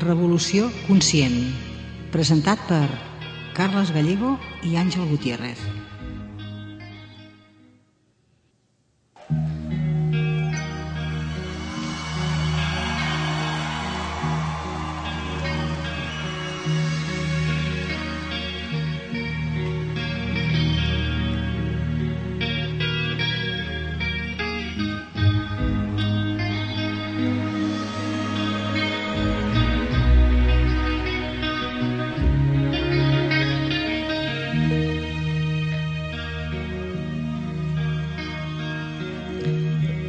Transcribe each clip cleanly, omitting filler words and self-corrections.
Revolució conscient, presentat per Carles Gallego i Àngel Gutiérrez.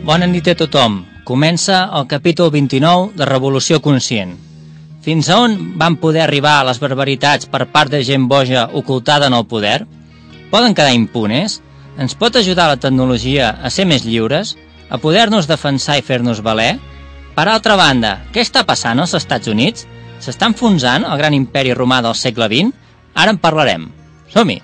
Bona nit a tothom. Comença el capítol 29 de Revolució Conscient. Fins a on van poder arribar les barbaritats per part de gent boja ocultada en el poder? Poden quedar impunes? Ens pot ajudar la tecnologia a ser més lliures? A poder-nos defensar i fer-nos valer? Per altra banda, què està passant als Estats Units? S'està enfonsant el gran imperi romà del segle XX? Ara en parlarem. Som-hi!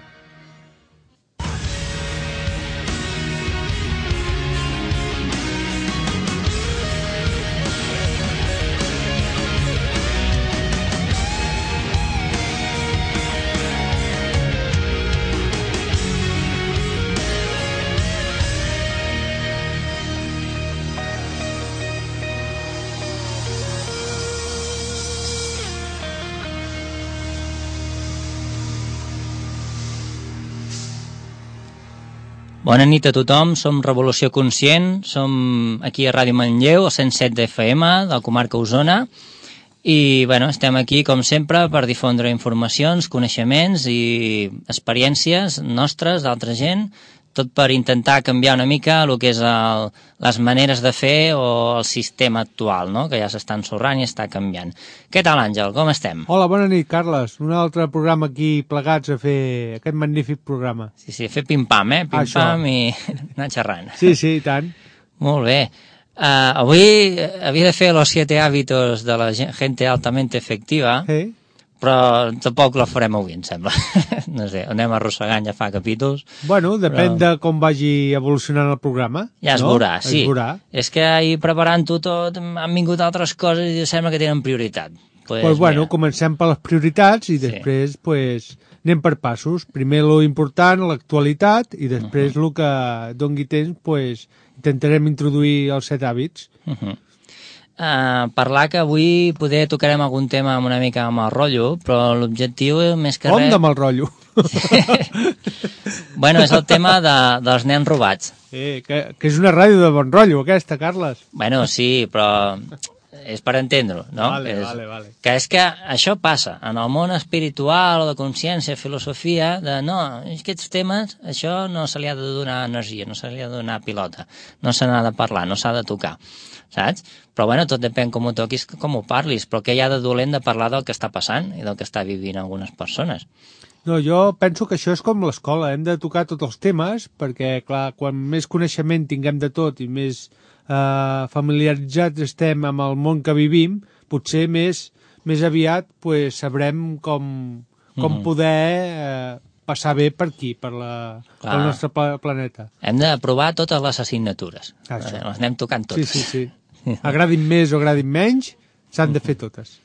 Bona nit a tothom, som Revolució Conscient, som aquí a Ràdio Manlleu, al 107 de FM, de la comarca Osona, i estem aquí, com sempre, per difondre informacions, coneixements i experiències nostres, d'altra gent, tot per intentar canviar una mica el que és les maneres de fer o el sistema actual, no? Que ja s'està ensorrant i està canviant. Què tal, Àngel? Com estem? Hola, bona nit, Carles. Un altre programa aquí plegats a fer aquest magnífic programa. Sí, fer pim-pam, pim-pam i anar xerrant. Sí, i tant. Molt bé. Avui havia de fer los 7 hábitos de la gente altamente efectiva, però tampoc la farem avui, em sembla. No sé, anem arrossegant ja fa capítols. Bueno, depèn de com vagi evolucionant el programa. Ja es veurà, sí. És que ahir preparant-ho tot han vingut altres coses i sembla que tenen prioritat. Comencem per les prioritats i després anem per passos. Primer lo important, l'actualitat, i després el que doni temps, intentarem introduir els 7 hàbits. Parlar que avui poder tocarem algun tema una mica amb el rotllo, però l'objectiu més que res... Com amb el rotllo? És el tema dels nens robats. Que és una ràdio de bon rotllo, aquesta, Carles. Sí, però és per entendre-ho, no? Vale. Que és que això passa en el món espiritual o de consciència, filosofia, aquests temes, això no se li ha de donar energia, no se li ha de donar pilota, no se n'ha de parlar, no s'ha de tocar, saps? Però tot depèn com ho toquis, com ho parlis, però què hi ha de dolent de parlar del que està passant i del que està vivint algunes persones? No, jo penso que això és com l'escola, hem de tocar tots els temes, perquè, clar, quan més coneixement tinguem de tot i més familiaritzats estem amb el món que vivim, potser més aviat sabrem com poder passar bé per aquí, per el nostre planeta. Hem de provar totes les assignatures. Les anem tocant totes. Sí. Agradin més o agradin menys, s'han de fer totes.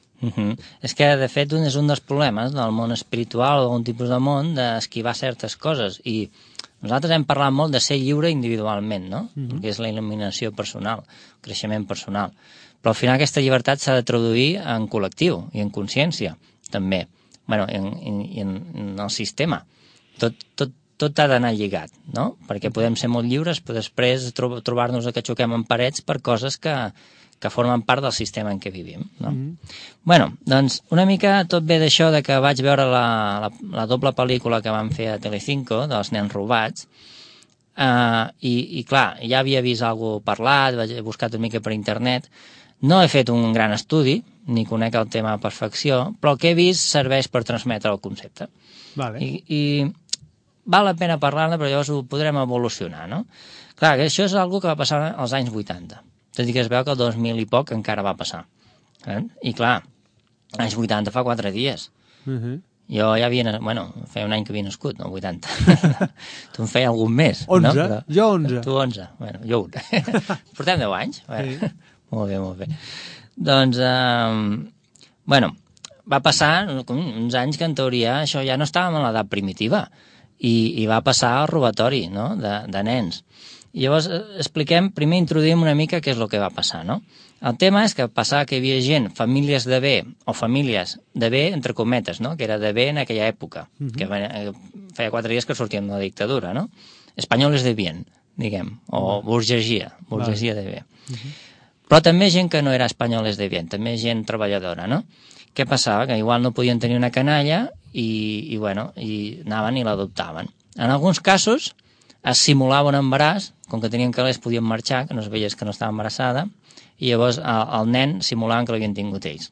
És que, de fet, és un dels problemes del món espiritual o d'algun tipus de món d'esquivar certes coses, i nosaltres hem parlat molt de ser lliure individualment, no? Que és la il·luminació personal, el creixement personal. Però al final aquesta llibertat s'ha de traduir en col·lectiu i en consciència, també. I en el sistema. Tot ha d'anar lligat, no? Perquè podem ser molt lliures, però després trobar-nos que xoquem en parets per coses que formen part del sistema en què vivim, no? Doncs una mica tot ve d'això de que vaig veure la doble pel·lícula que van fer a Telecinco dels nens robats, i clar, ja havia vist alguna cosa parlat, he buscat una mica per internet, no he fet un gran estudi, ni conec el tema a perfecció, però el que he vist serveix per transmetre el concepte. I val la pena parlar-ne, però llavors ho podrem evolucionar, no? Clar, que això és una cosa que va passar als anys 80. Tot i que es veu que el 2000 i poc encara va passar. I clar, anys 80 fa 4 dies. Jo ja havia... feia un any que havia nascut, no? 80. Tu en feia algun més, 11, no? Però... Jo 11. Tu 11. Jo 1. Portem 10 anys. Molt bé. Doncs, Bueno, va passar uns anys que en teoria això ja no estàvem en l'edat primitiva i va passar al robatori, no?, de nens. I llavors primer introduïm una mica què és el que va passar, no? El tema és que passava que hi havia gent, famílies de bé, o famílies de bé, entre cometes, no?, que era de bé en aquella època, que feia 4 dies que sortíem de la dictadura, no? Espanyoles de bien, diguem, o burgesia de bé. Però també gent que no era espanyoles de bien, també gent treballadora, no? Què passava? Que igual no podien tenir una canalla i anaven i l'adoptaven. En alguns casos es simulava un embaràs, com que tenien calés podien marxar, que no es veiés que no estava embarassada, i llavors el nen simulaven que l'havien tingut ells.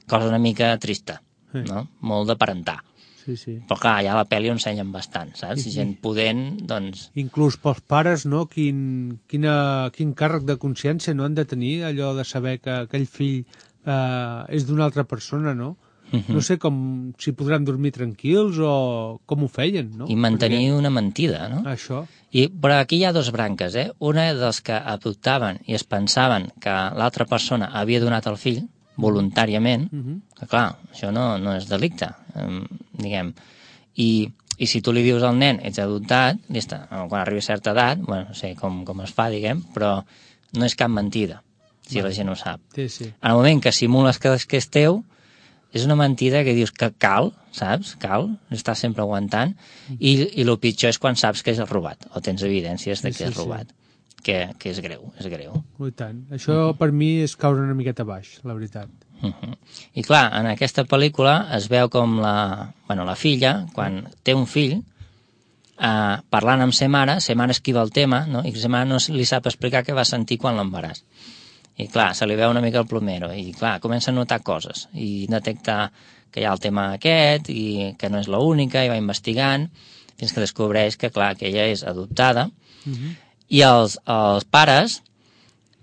Cosa una mica trista, no? Molt de parentar. Sí. Però clar, ja a la pel·li ho ensenyen bastant, saps? Gent pudent, doncs... Inclús pels pares, no? Quin càrrec de consciència no han de tenir, allò de saber que aquell fill és d'una altra persona, no? No sé si podran dormir tranquils o com ho feien, no? I mantenir una mentida, no? Això. Però aquí hi ha dos branques, eh? Una dels que adoptaven i es pensaven que l'altra persona havia donat el fill voluntàriament, que clar, això no és delicte, diguem. I si tu li dius al nen, ets adoptat, quan arribi a certa edat, bueno, no sé com es fa, diguem, però no és cap mentida, si la gent ho sap. Sí. En el moment que simules que és teu, és una mentida que dius que cal, saps? Cal, estàs sempre aguantant, i el pitjor és quan saps que és robat, o tens evidències de que és robat, que és greu, és greu. I tant. Això per mi és caure una miqueta baix, la veritat. I clar, en aquesta pel·lícula es veu com la filla, quan té un fill, parlant amb sa mare esquiva el tema, no? I sa mare no li sap explicar què va sentir quan l'embaràs. I clar, se li veu una mica el plomero, i clar, comença a notar coses, i detecta que hi ha el tema aquest, i que no és l'única, i va investigant, fins que descobreix que, clar, que ella és adoptada, i els pares,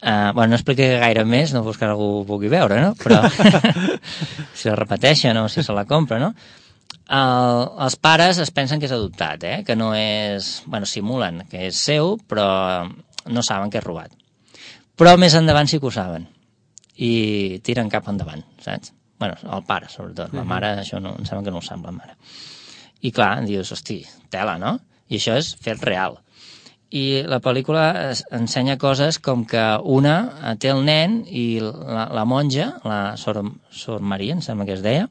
no explicaré gaire més, no vols que algú ho pugui veure, no? Però si la repeteixen o si se la compra, no? Els pares es pensen que és adoptat, que no és... Bueno, simulen que és seu, però no saben que és robat. Però més endavant sí que ho saben. I tiren cap endavant, saps? Bueno, el pare, sobretot. La mare, això no, em sembla que no ho sap, la mare. I clar, dius, hosti, tela, no? I això és fet real. I la pel·lícula ensenya coses com que una té el nen i la monja, la Sor Maria, em sembla que es deia,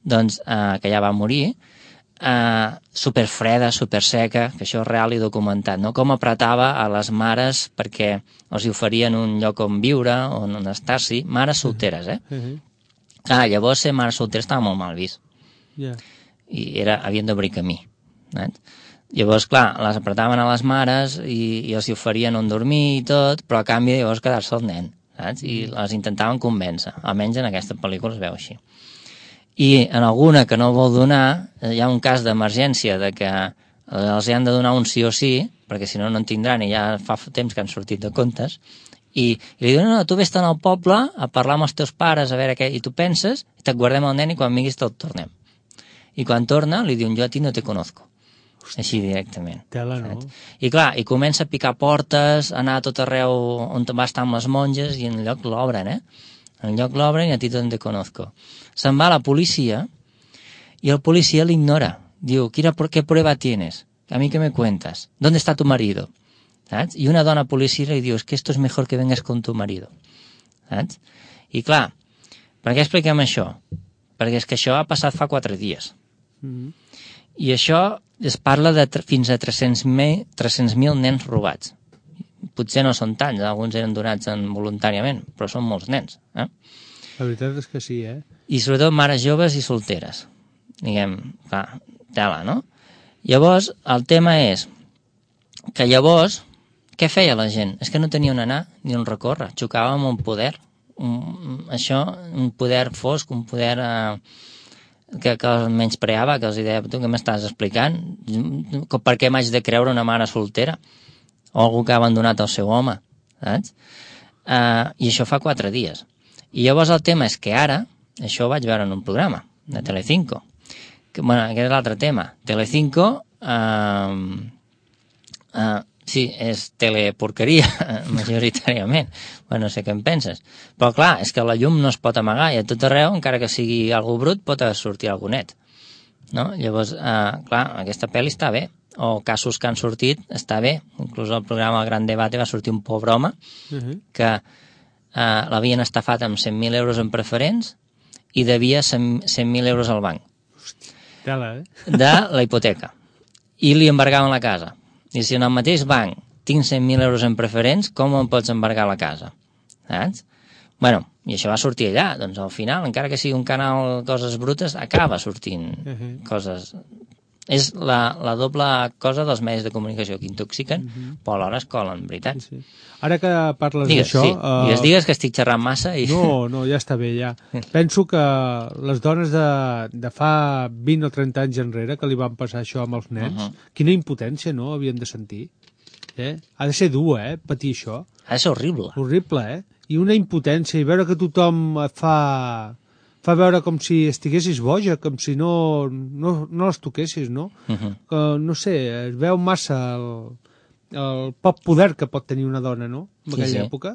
doncs, que ja va morir, superfreda, superseca, que això és real i documentat, no? Com apretava a les mares perquè els oferien un lloc on viure, on estar-s'hi, mares solteres, llavors ser mare soltera estava molt mal vist. I havien d'obrir camí. Llavors, clar, les apretaven a les mares i els oferien on dormir i tot, però a canvi llavors quedar-se el nen, saps? I les intentaven convèncer, almenys en aquesta pel·lícula es veu així. I en alguna que no vol donar, hi ha un cas d'emergència de que els han de donar un sí o sí, perquè si no, no en tindran, i ja fa temps que han sortit de comptes, i li diuen, no, tu vés-te'n al poble a parlar amb els teus pares, a veure què, i tu penses, i te't guardem el nen i quan vinguis te'l tornem. I quan torna, li diuen, jo a ti no te conozco. Així directament. Tela, no? I clar, i comença a picar portes, anar a tot arreu on va estar amb les monges, i en lloc l'obren, En lloc l'obren i a ti no te conozco. Se'n va a la policia y el policía le ignora. Diu, ¿qué prueba tienes? ¿A mí qué me cuentas? ¿Dónde está tu marido? ¿Saps? I una dona policia li diu, es que esto es mejor que vengas con tu marido. Saps? I clar, per què expliquem això? Perquè és que això ha passat fa 4 dies. I això es parla de fins a 300.000 nens robats. Potser no són tants, alguns eren donats voluntàriament, però són molts nens. La veritat és que sí, I sobretot mares joves i solteres. Diguem, clar, tela, no? Llavors, el tema és que llavors, què feia la gent? És que no tenia on anar ni on recórrer, xocava amb un poder. Un poder fosc, un poder que els menyspreava, que els deia, tu què m'estàs explicant? Per què m'haig de creure una mare soltera? O algú que ha abandonat el seu home, saps? I això fa 4 dies. I llavors el tema és que ara, això ho vaig veure en un programa de Telecinco. Bueno, aquest és l'altre tema. Telecinco Sí, és teleporqueria, majoritàriament. Bueno, no sé què en penses. Però clar, és que la llum no es pot amagar i a tot arreu, encara que sigui algú brut, pot sortir algú net. No? Llavors, clar, aquesta pel·li està bé. O casos que han sortit, està bé. Inclús al programa Gran Debate va sortir un pobre home que l'havien estafat amb 100.000 euros en preferents i devia 100.000 euros al banc. Tela, de la hipoteca. I li embargaven la casa. I si en el mateix banc tinc 100.000 euros en preferents, com em pots embargar la casa? Saps? Bueno, i això va sortir allà. Doncs al final, encara que sigui un canal coses brutes, acaba sortint coses... És la doble cosa dels medis de comunicació que intoxiquen, però alhora es colen, veritat. Sí. Ara que parles d'això... Sí. Digues que estic xerrant massa i... No, ja està bé, ja. Penso que les dones de fa 20 o 30 anys enrere, que li van passar això amb els nens, quina impotència, no?, havien de sentir. Ha de ser dur, patir això. Ha de ser horrible. Horrible, I una impotència, i veure que tothom et fa veure com si estiguessis boja, com si no les toquessis, no? Que, no sé, es veu massa el poc poder que pot tenir una dona, no?, en aquella època.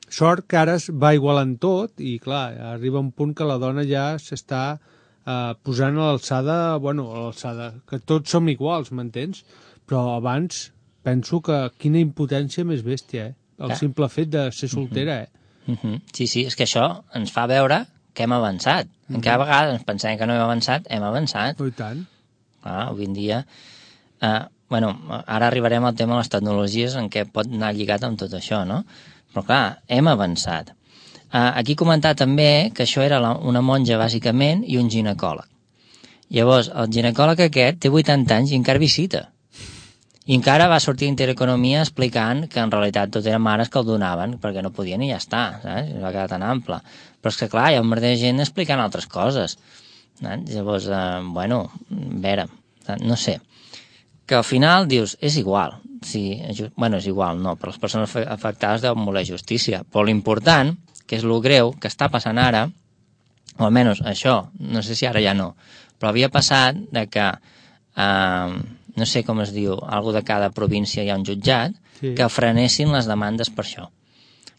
Sort que ara es va igualant tot i, clar, arriba un punt que la dona ja s'està posant a l'alçada, que tots som iguals, m'entens? Però abans penso que quina impotència més bèstia, el simple fet de ser soltera, Sí, és que això ens fa veure que hem avançat. Cada vegada ens pensem que no hem avançat, hem avançat. I tant. Avui en dia... ara arribarem al tema de les tecnologies en què pot anar lligat amb tot això, no? Però clar, hem avançat. Aquí comentar també que això era una monja, bàsicament, i un ginecòleg. Llavors, el ginecòleg aquest té 80 anys i encara visita. I encara va sortir Intereconomia explicant que en realitat tot eren mares que el donaven perquè no podien i ja està, saps? Va quedar tan ample. Però és que clar, hi ha un merder de gent explicant altres coses. Llavors, a veure, no sé. Que al final dius, és igual. És igual, no, però les persones afectades deuen voler justícia. Però l'important, que és lo greu, que està passant ara, o almenys això, no sé si ara ja no, però havia passat de que... no sé com es diu, algú de cada província hi ha un jutjat, que frenessin les demandes per això.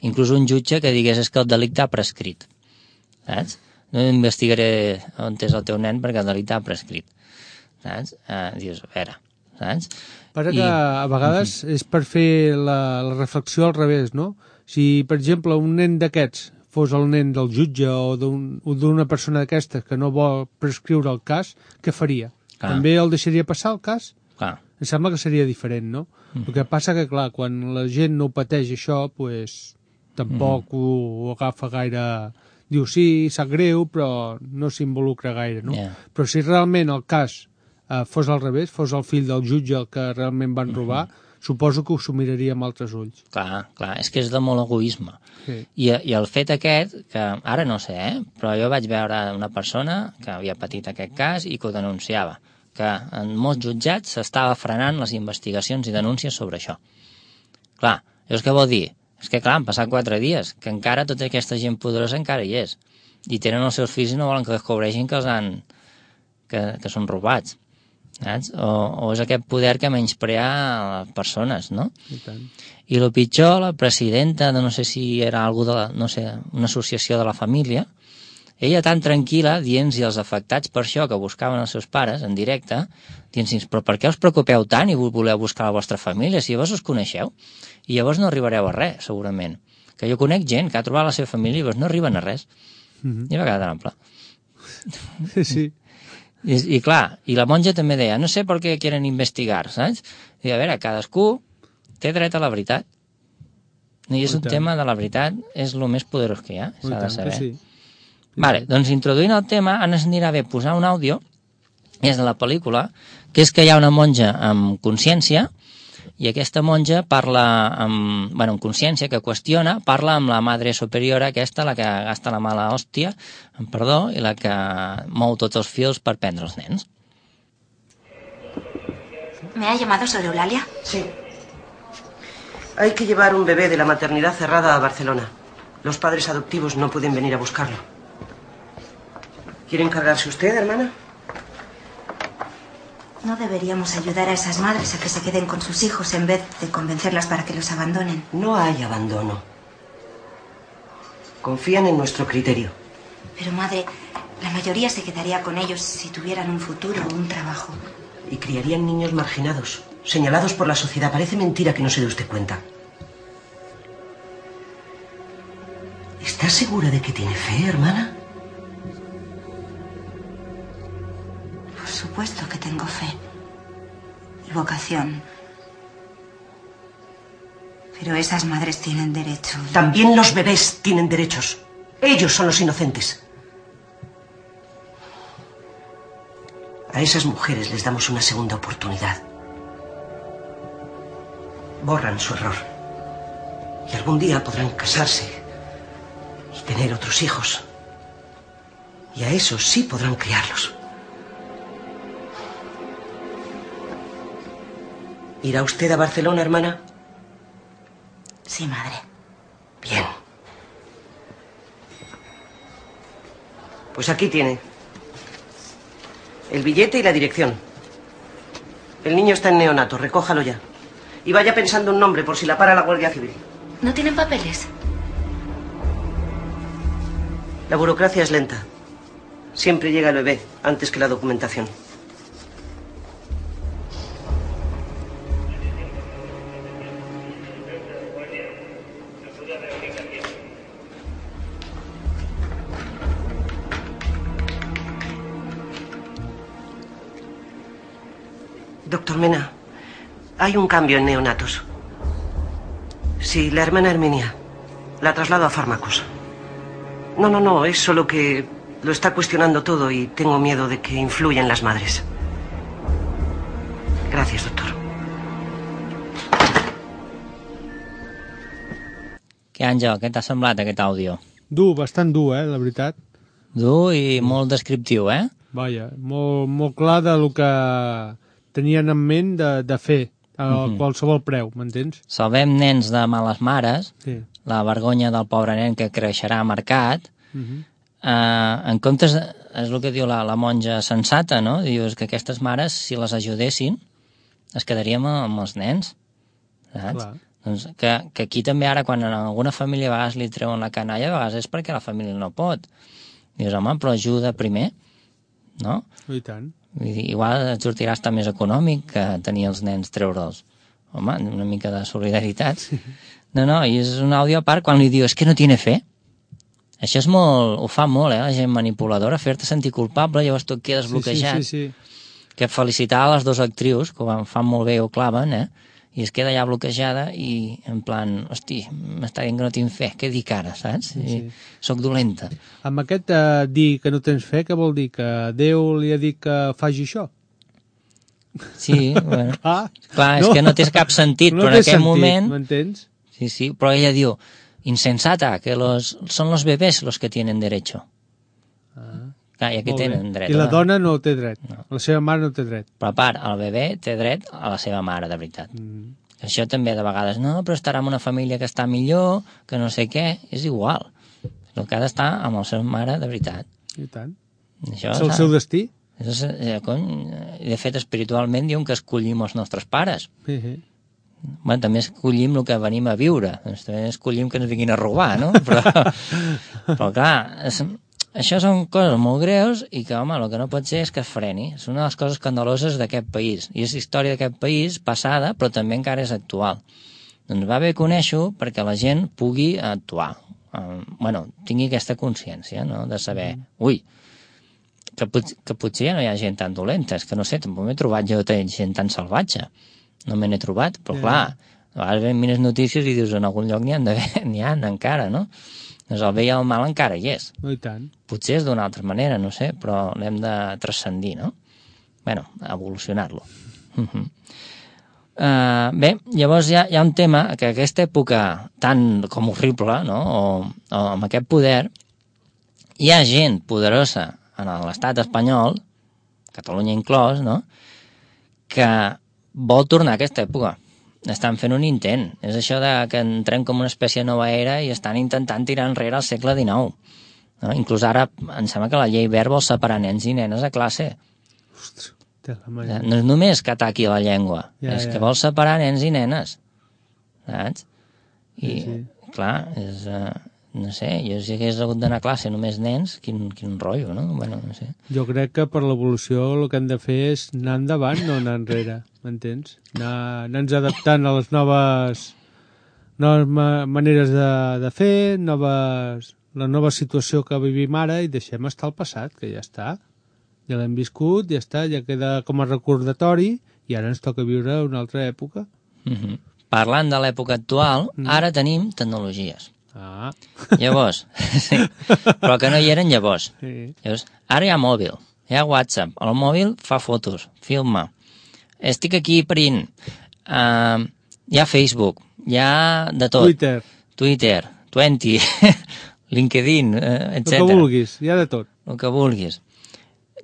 Inclús un jutge que digués és que el delicte ha prescrit. Saps? No investigaré on és el teu nen perquè el delicte ha prescrit. Saps? Dius, a veure, saps? Passa que a vegades és per fer la reflexió al revés, no? Si, per exemple, un nen d'aquests fos el nen del jutge o d'una persona d'aquestes que no vol prescriure el cas, què faria? També el deixaria passar el cas? Clar. Em sembla que seria diferent, no? El que passa que, clar, quan la gent no pateix això, pues, tampoc ho agafa gaire... Diu, sí, sap greu, però no s'involucra gaire, no? Però si realment el cas fos al revés, fos el fill del jutge el que realment van robar, suposo que ho s'ho miraria amb altres ulls. Clar, és que és de molt egoisme. Sí. I el fet aquest, que ara no sé, però jo vaig veure una persona que havia patit aquest cas i que ho denunciava, que en molts jutjats s'estava frenant les investigacions i denúncies sobre això. Clar, llavors què vol dir? És que clar, han passat 4 dies, que encara tota aquesta gent poderosa encara hi és. I tenen els seus fills i no volen que descobreixin que que són robats. Saps? O és aquest poder que menysprea les persones, no? I tant. I el pitjor, la presidenta de no sé si era algú de una associació de la família, ella tan tranquil·la, dient-hi als afectats per això que buscaven els seus pares en directe, dient-hi, però per què us preocupeu tant i voleu buscar la vostra família si llavors us coneixeu? I llavors no arribareu a res, segurament. Que jo conec gent que ha trobat la seva família i llavors no arriben a res. I va quedar tan ample. Sí. I clar, i la monja també deia, no sé per què quieren investigar, saps? I a veure, cadascú té dret a la veritat. I és un tema de la veritat, és el més poderós que hi ha, s'ha de saber. Sí. Vale, doncs introduint el tema, ens anirà bé posar un àudio, és de la pel·lícula, que és que hi ha una monja amb consciència, i aquesta monja parla amb consciència, que qüestiona, parla amb la madre superiora aquesta, la que gasta la mala hòstia, amb perdó, i la que mou tots els fils per prendre els nens. ¿Me ha llamado sobre Eulalia? Sí. Hay que llevar un bebé de la maternidad cerrada a Barcelona. Los padres adoptivos no pueden venir a buscarlo. ¿Quiere encargarse usted, hermana? No deberíamos ayudar a esas madres a que se queden con sus hijos en vez de convencerlas para que los abandonen. No hay abandono. Confían en nuestro criterio. Pero, madre, la mayoría se quedaría con ellos si tuvieran un futuro o un trabajo. Y criarían niños marginados, señalados por la sociedad. Parece mentira que no se dé usted cuenta. ¿Estás segura de que tiene fe, hermana? Por supuesto que tengo fe. Y vocación. Pero esas madres tienen derecho. También los bebés tienen derechos. Ellos son los inocentes. A esas mujeres les damos una segunda oportunidad. Borran su error. Y algún día podrán casarse y tener otros hijos. Y a esos sí podrán criarlos. ¿Irá usted a Barcelona, hermana? Sí, madre. Bien. Pues aquí tiene el billete y la dirección. El niño está en neonato, recójalo ya. Y vaya pensando un nombre por si la para la Guardia Civil. ¿No tienen papeles? La burocracia es lenta. Siempre llega el bebé antes que la documentación. Doctor Mena, hay un cambio en neonatos. Sí, la hermana Herminia. La traslado a fármacos. No, es solo que lo está cuestionando todo y tengo miedo de que influya en las madres. Gracias, doctor. Què, Àngel, què t'ha semblat aquest àudio? Dur, bastant dur, la veritat. Dur i molt descriptiu, eh? Vaja, molt clar del que tenien en ment de fer a qualsevol preu, m'entens? Salvem nens de males mares, Sí. la vergonya del pobre nen que creixerà marcat. En comptes, és el que diu la monja sensata, no? Dius que aquestes mares, si les ajudessin, es quedaríem amb els nens, saps? Clar. Doncs que aquí també ara, quan a alguna família a vegades li treuen la canalla, a vegades és perquè la família no pot. Dius, home, però ajuda primer, no? I tant. Vull dir, igual et sortirà estar més econòmic que tenir els nens treure'ls. Home, una mica de solidaritat. No, i és un àudio a part quan li diu, és que no tiene fe. Això és molt, ho fa molt, la gent manipuladora, fer-te sentir culpable, llavors tu et quedes bloquejat. Sí. Que felicitar a les dues actrius, que ho fan molt bé, ho claven, i es queda ja bloquejada i en plan, hosti, m'està dient que no tinc fe, què dic ara, saps? Sí. Soc dolenta. Amb aquest dir que no tens fe, què vol dir? Que Déu li ha dit que faci això? Sí, bueno. Clar, és no. que no té cap sentit, No però en té aquest sentit, moment... m'entens? Sí, però ella diu, insensata, que son los bebés los que tienen derecho. Clar, i aquí tenen dret. I la dona no té dret. No. La seva mare no té dret. Però a part, el bebè té dret a la seva mare, de veritat. Això també de vegades, no, però estarà en una família que està millor, que no sé què, és igual. El que ha d'estar amb la seva mare, de veritat. I tant. Això, és el seu destí. De fet, espiritualment diuen que escollim els nostres pares. Bueno, també escollim el que venim a viure. Doncs també escollim que ens vinguin a robar, no? Però clar, això són coses molt greus i que, home, el que no pot ser és que es freni. És una de les coses escandaloses d'aquest país. I és història d'aquest país passada, però també encara és actual. Doncs va bé conèixer-ho perquè la gent pugui actuar. Tingui aquesta consciència, no?, de saber, ui, que potser ja no hi ha gent tan dolenta. És que no sé, tampoc m'he trobat jo gent tan salvatge. No me n'he trobat, però clar, a vegades mires notícies i dius, en algun lloc n'hi ha encara, no? Doncs el bé i el mal encara hi és. I tant. Potser és d'una altra manera, no sé, però l'hem de transcendir, no? Bueno, evolucionar-lo. Bé, llavors hi ha un tema que aquesta època tan com horrible, no?, o amb aquest poder, hi ha gent poderosa en l'estat espanyol, Catalunya inclòs, no?, que vol tornar a aquesta època. Estan fent un intent. És això que entrem com una espècie de nova era i estan intentant tirar enrere al segle XIX. No? Inclús ara em sembla que la llei Wert vol separar nens i nenes a classe. Ostres, No és només que ataqui la llengua, és que vol separar nens i nenes, saps? I, clar, és... no sé, jo si hagués hagut d'anar a classe només nens, quin rotllo, no? Bueno, no sé. Jo crec que per l'evolució el que hem de fer és anar endavant, no anar enrere, m'entens? Anar-nos adaptant a les noves maneres de fer, la nova situació que vivim ara i deixem estar el passat, que ja està. Ja l'hem viscut, ja està, ja queda com a recordatori i ara ens toca viure una altra època. Parlant de l'època actual, ara tenim tecnologies. Llavors, sí, però que no hi eren llavors. Llavors, ara hi ha mòbil, hi ha WhatsApp, el mòbil fa fotos, filma. Estic aquí print, hi ha Facebook, hi ha de tot. Twitter, 20, LinkedIn, etc. El que vulguis, hi ha de tot. El que vulguis.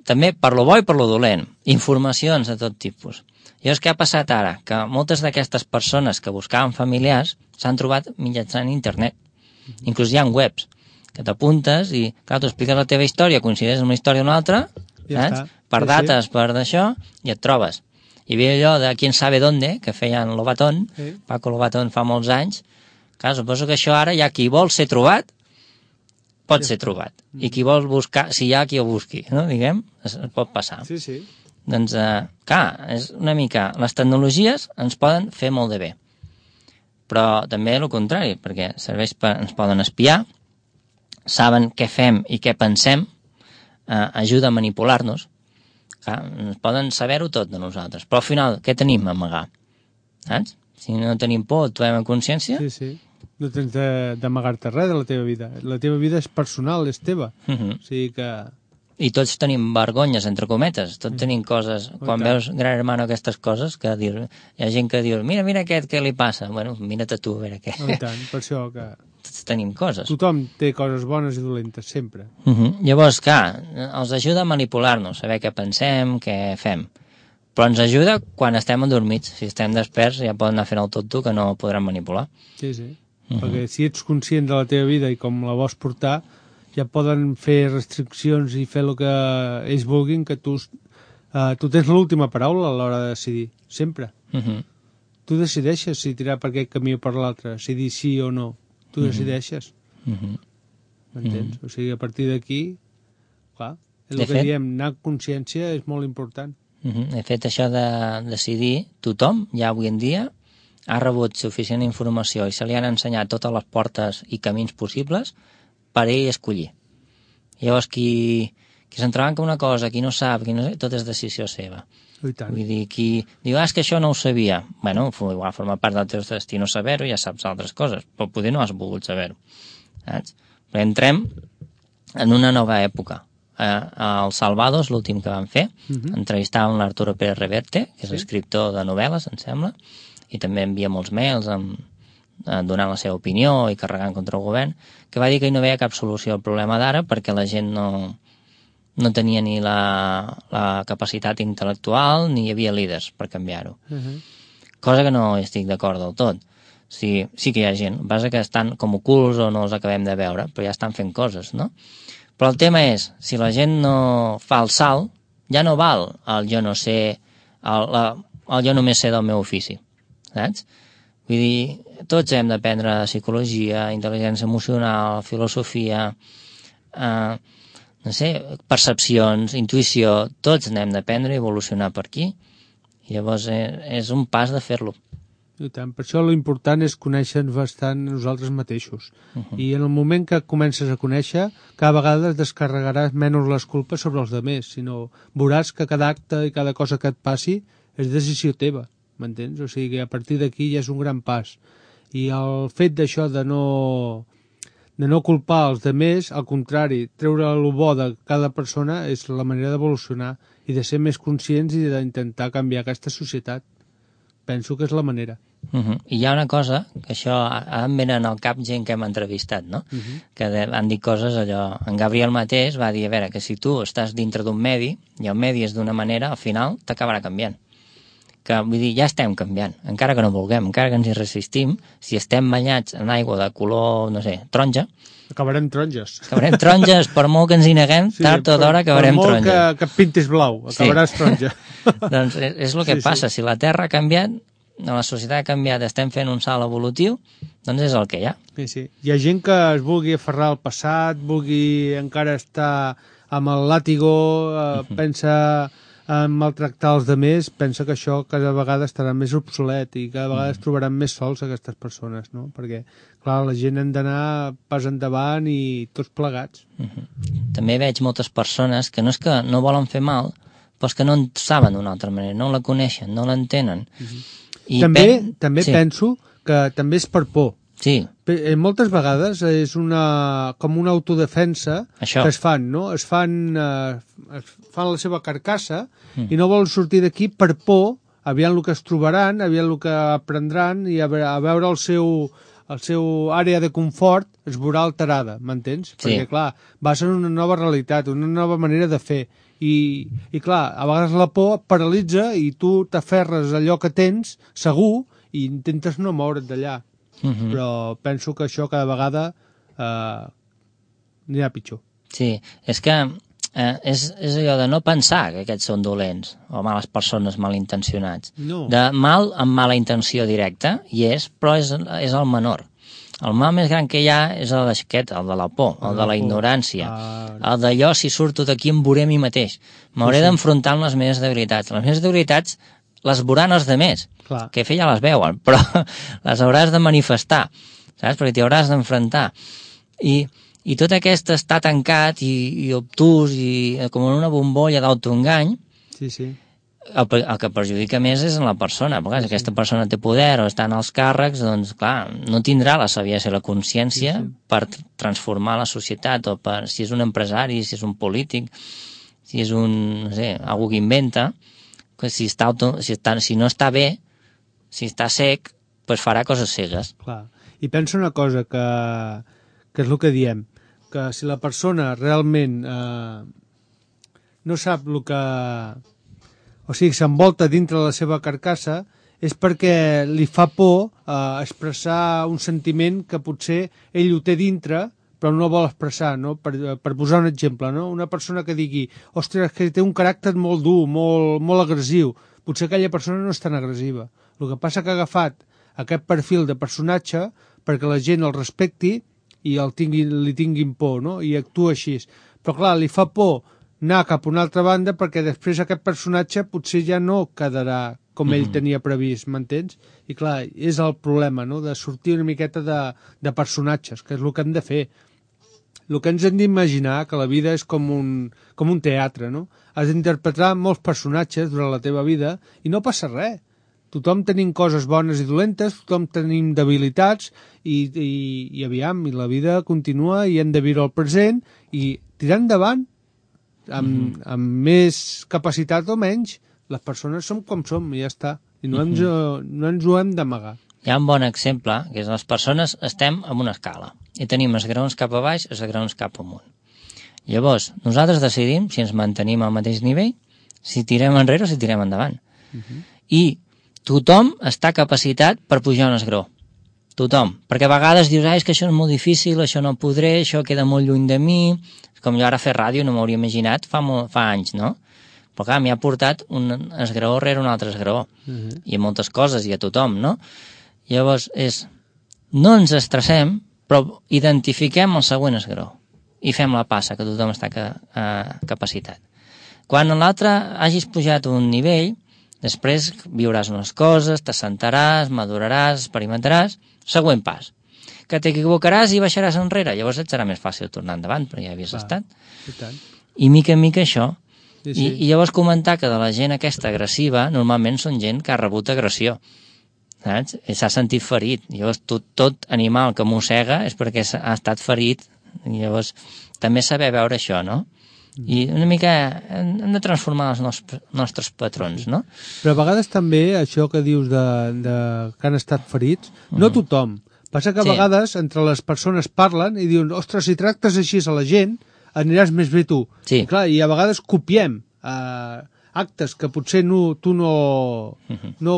També per lo bo i per lo dolent, informacions de tot tipus. Llavors, què ha passat ara? Que moltes d'aquestes persones que buscaven familiars s'han trobat mitjançant internet. Inclús hi ha webs que t'apuntes i, clar, tu expliques la teva història, coincideix amb una història d'una altra, saps? Per dates, per d'això, i et trobes. Hi havia allò de Quién sabe dónde, que feien Lobatón, Paco Lobatón fa molts anys. Clar, suposo que això ara hi ha qui vol ser trobat, pot ser trobat. I qui vol buscar, si hi ha qui ho busqui, no? Diguem, es pot passar. Sí. Doncs, clar, és una mica... Les tecnologies ens poden fer molt de bé. Però també el contrari, perquè ens poden espiar, saben què fem i què pensem, ajuda a manipular-nos, ens poden saber-ho tot de nosaltres, però al final què tenim a amagar? Saps? Si no tenim por, actuem en consciència... Sí. No tens d'amagar-te res de la teva vida. La teva vida és personal, és teva. O sigui que... I tots tenim vergonyes, entre cometes, tots tenim coses, quan veus Gran Hermano aquestes coses, que hi ha gent que diu, mira aquest, què li passa? Bueno, mira't a tu, a veure què. I tant, per això que... Tots tenim coses. Tothom té coses bones i dolentes, sempre. Llavors, clar, els ajuda a manipular-nos, saber què pensem, què fem. Però ens ajuda quan estem endormits. Si estem desperts ja poden anar fent el tonto que no podran manipular. Sí. Perquè si ets conscient de la teva vida i com la vols portar, ja poden fer restriccions i fer el que ells vulguin, que tu tens l'última paraula a l'hora de decidir, sempre. Tu decideixes si tirar per aquest camí o per l'altre, si dir sí o no. Tu decideixes. M'entens? O sigui, a partir d'aquí, clar, el que diem, anar amb consciència és molt important. De fet, això de decidir, tothom, ja avui en dia, ha rebut suficient informació i se li han ensenyat totes les portes i camins possibles per ell escollir. Llavors, qui s'entrebanca una cosa, qui no sap, tot és decisió seva. Vull dir, qui diu, és que això no ho sabia. Bueno, igual forma part del teu destí no saber-ho, ja saps altres coses, però poder no has volgut saber-ho. Saps? Però entrem en una nova època. El Salvados, l'últim que vam fer, entrevistàvem l'Arturo Pérez Reverte, que és escriptor de novel·les, em sembla, i també envia molts mails donant la seva opinió i carregant contra el govern, que va dir que no veia cap solució al problema d'ara perquè la gent no tenia ni la capacitat intel·lectual ni hi havia líders per canviar-ho. Cosa que no estic d'acord del tot. Sí que hi ha gent, el que passa que estan com ocults o no els acabem de veure, però ja estan fent coses, no? Però el tema és, si la gent no fa el salt, ja no val el jo no sé, el jo només sé del meu ofici, saps? Vull dir, tots hem d'aprendre psicologia, intel·ligència emocional, filosofia, no sé, percepcions, intuïció, tots n'hem d'aprendre i evolucionar per aquí. I llavors és un pas de fer-lo. I tant, per això l'important és conèixer-nos bastant nosaltres mateixos. I en el moment que comences a conèixer, cada vegada descarregaràs menys les culpes sobre els altres, sinó veuràs que cada acte i cada cosa que et passi és decisió teva. M'entens? O sigui que a partir d'aquí ja és un gran pas. I el fet d'això de no culpar els altres, al contrari, treure el bo de cada persona és la manera d'evolucionar i de ser més conscients i d'intentar canviar aquesta societat. Penso que és la manera. I hi ha una cosa, que això em venen al cap gent que hem entrevistat, no? Que han dit coses allò... En Gabriel mateix va dir, a veure, que si tu estàs dintre d'un medi i el medi és d'una manera, al final t'acabarà canviant. que vull dir, ja estem canviant, encara que no vulguem, encara que ens hi resistim, si estem banyats en aigua de color, no sé, taronja, acabarem taronges. Acabarem taronges, per molt que ens hi neguem, tard o d'hora acabarem taronja. Per molt que pintis blau, acabaràs taronja. Doncs és el que passa, si la Terra ha canviat, la societat ha canviat, estem fent un salt evolutiu, doncs és el que hi ha. Sí. Hi ha gent que es vulgui aferrar al passat, vulgui encara estar amb el làtigo, pensa en maltractar els demés, pensa que això cada vegada estarà més obsolet i cada vegada es trobaran més sols aquestes persones, no? Perquè, clar, la gent hem d'anar pas endavant i tots plegats. També veig moltes persones que no és que no volen fer mal, però és que no en saben d'una altra manera, no la coneixen, no l'entenen. I també penso que també és per por. Sí. Moltes vegades és com una autodefensa que es fan, no? Es fan la seva carcassa i no volen sortir d'aquí per por, aviam el que es trobaran, aviam el que aprendran i a veure el seu àrea de confort es veurà alterada, m'entens? Sí. Perquè, clar, vas en una nova realitat, una nova manera de fer i clar, a vegades la por et paralitza i tu t'aferres a allò que tens segur i intentes no moure't d'allà. Però penso que això cada vegada anirà pitjor. Sí, és que és allò de no pensar que aquests són dolents o males persones malintencionats. No. De mal amb mala intenció directa, però és el menor. El mal més gran que hi ha és el d'aquest, el de la por, el de la ignorància, el d'allò, si surto d'aquí em veuré a mi mateix. M'hauré d'enfrontar amb les meves debilitats. Les meves debilitats les veuran els demés, que ja les veuen, però les hauràs de manifestar, saps? Perquè t'hi hauràs d'enfrontar. I tot aquest estar tancat i obtús i com en una bombolla d'autoengany, el que perjudica més és en la persona. Perquè si aquesta persona té poder o està en els càrrecs, doncs, clar, no tindrà la saviesa i la consciència per transformar la societat, o per si és un empresari, si és un polític, si és un, no sé, algú que inventa, que si no està bé, si està sec, doncs farà coses cegues. Clar. I penso una cosa, que és el que diem, que si la persona realment no sap el que... O sigui, s'envolta dintre de la seva carcassa, és perquè li fa por expressar un sentiment que potser ell ho té dintre, però no el vol expressar, no? Per posar un exemple, no? Una persona que digui, ostres, que té un caràcter molt dur, molt agressiu, potser aquella persona no és tan agressiva. El que passa que ha agafat aquest perfil de personatge perquè la gent el respecti i li tinguin por, no? I actua així. Però clar, li fa por anar cap a una altra banda perquè després aquest personatge potser ja no quedarà com ell tenia previst, m'entens? I clar, és el problema, no?, de sortir una miqueta de personatges, que és el que hem de fer. El que ens hem d'imaginar, que la vida és com un teatre, no? Has d'interpretar molts personatges durant la teva vida i no passa res. Tothom tenim coses bones i dolentes, tothom tenim debilitats i aviam, i la vida continua i hem de viure el present i tirar endavant amb més capacitat o menys. Les persones som com som i ja està. I no ens ho hem d'amagar. Hi ha un bon exemple, que és les persones estem en una escala i tenim els graons cap a baix i els graons cap amunt. Llavors, nosaltres decidim si ens mantenim al mateix nivell, si tirem enrere o si tirem endavant. I tothom està capacitat per pujar un esgraó. Tothom. Perquè a vegades dius, és que això és molt difícil, això no podré, això queda molt lluny de mi. Com jo ara fer ràdio no m'hauria imaginat fa anys, no? Però clar, m'hi ha portat un esgraó rere un altre esgraó. I a moltes coses, i a tothom, no? Llavors no ens estressem, però identifiquem el següent esgraó i fem la passa, que tothom està capacitat. Quan a l'altre hagis pujat un nivell, després viuràs unes coses, t'assentaràs, maduraràs, experimentaràs, següent pas. Que t'equivocaràs i baixaràs enrere, llavors et serà més fàcil tornar endavant, però ja havies estat. I mica en mica això. I llavors comentar que de la gent aquesta agressiva, normalment són gent que ha rebut agressió. Saps? I s'ha sentit ferit. Llavors tot animal que mossega és perquè ha estat ferit. I llavors també saber veure això, no? I una mica hem de transformar els nostres patrons, no? Però a vegades també això que dius que han estat ferits, no tothom. Passa que a vegades entre les persones parlen i diuen, ostres, si tractes així a la gent, aniràs més bé tu. I clar, i a vegades copiem actes que potser tu no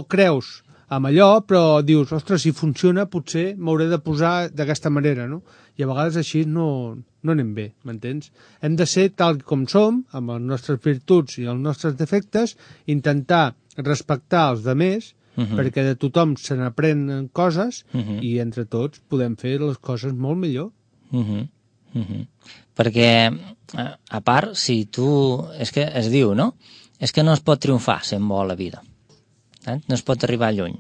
creus amb allò, però dius, ostres, si funciona potser m'hauré de posar d'aquesta manera, no? I a vegades així no anem bé, m'entens? Hem de ser tal com som, amb les nostres virtuts i els nostres defectes, intentar respectar els demés, perquè de tothom se n'aprenen coses i entre tots podem fer les coses molt millor. Perquè, a part, si tu... És que es diu, no? És que no es pot triomfar sent bo a la vida. No es pot arribar lluny.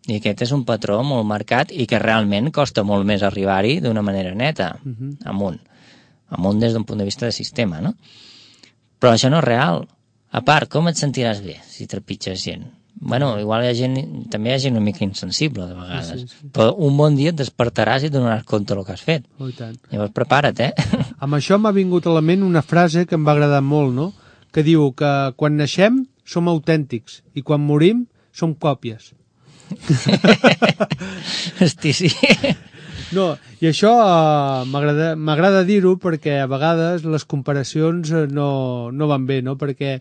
I aquest és un patró molt marcat i que realment costa molt més arribar-hi d'una manera neta, amunt des d'un punt de vista de sistema, no? Però això no és real. A part, com et sentiràs bé si trepitges gent? Bueno, igual també hi ha gent una mica insensible de vegades, però un bon dia et despertaràs i et donaràs compte del que has fet. Oh, i tant. Llavors prepara't, Amb això m'ha vingut a la ment una frase que em va agradar molt, no? Que diu que quan naixem som autèntics i quan morim som còpies. Hosti, sí. No, i això m'agrada dir-ho perquè a vegades les comparacions no van bé, no? Perquè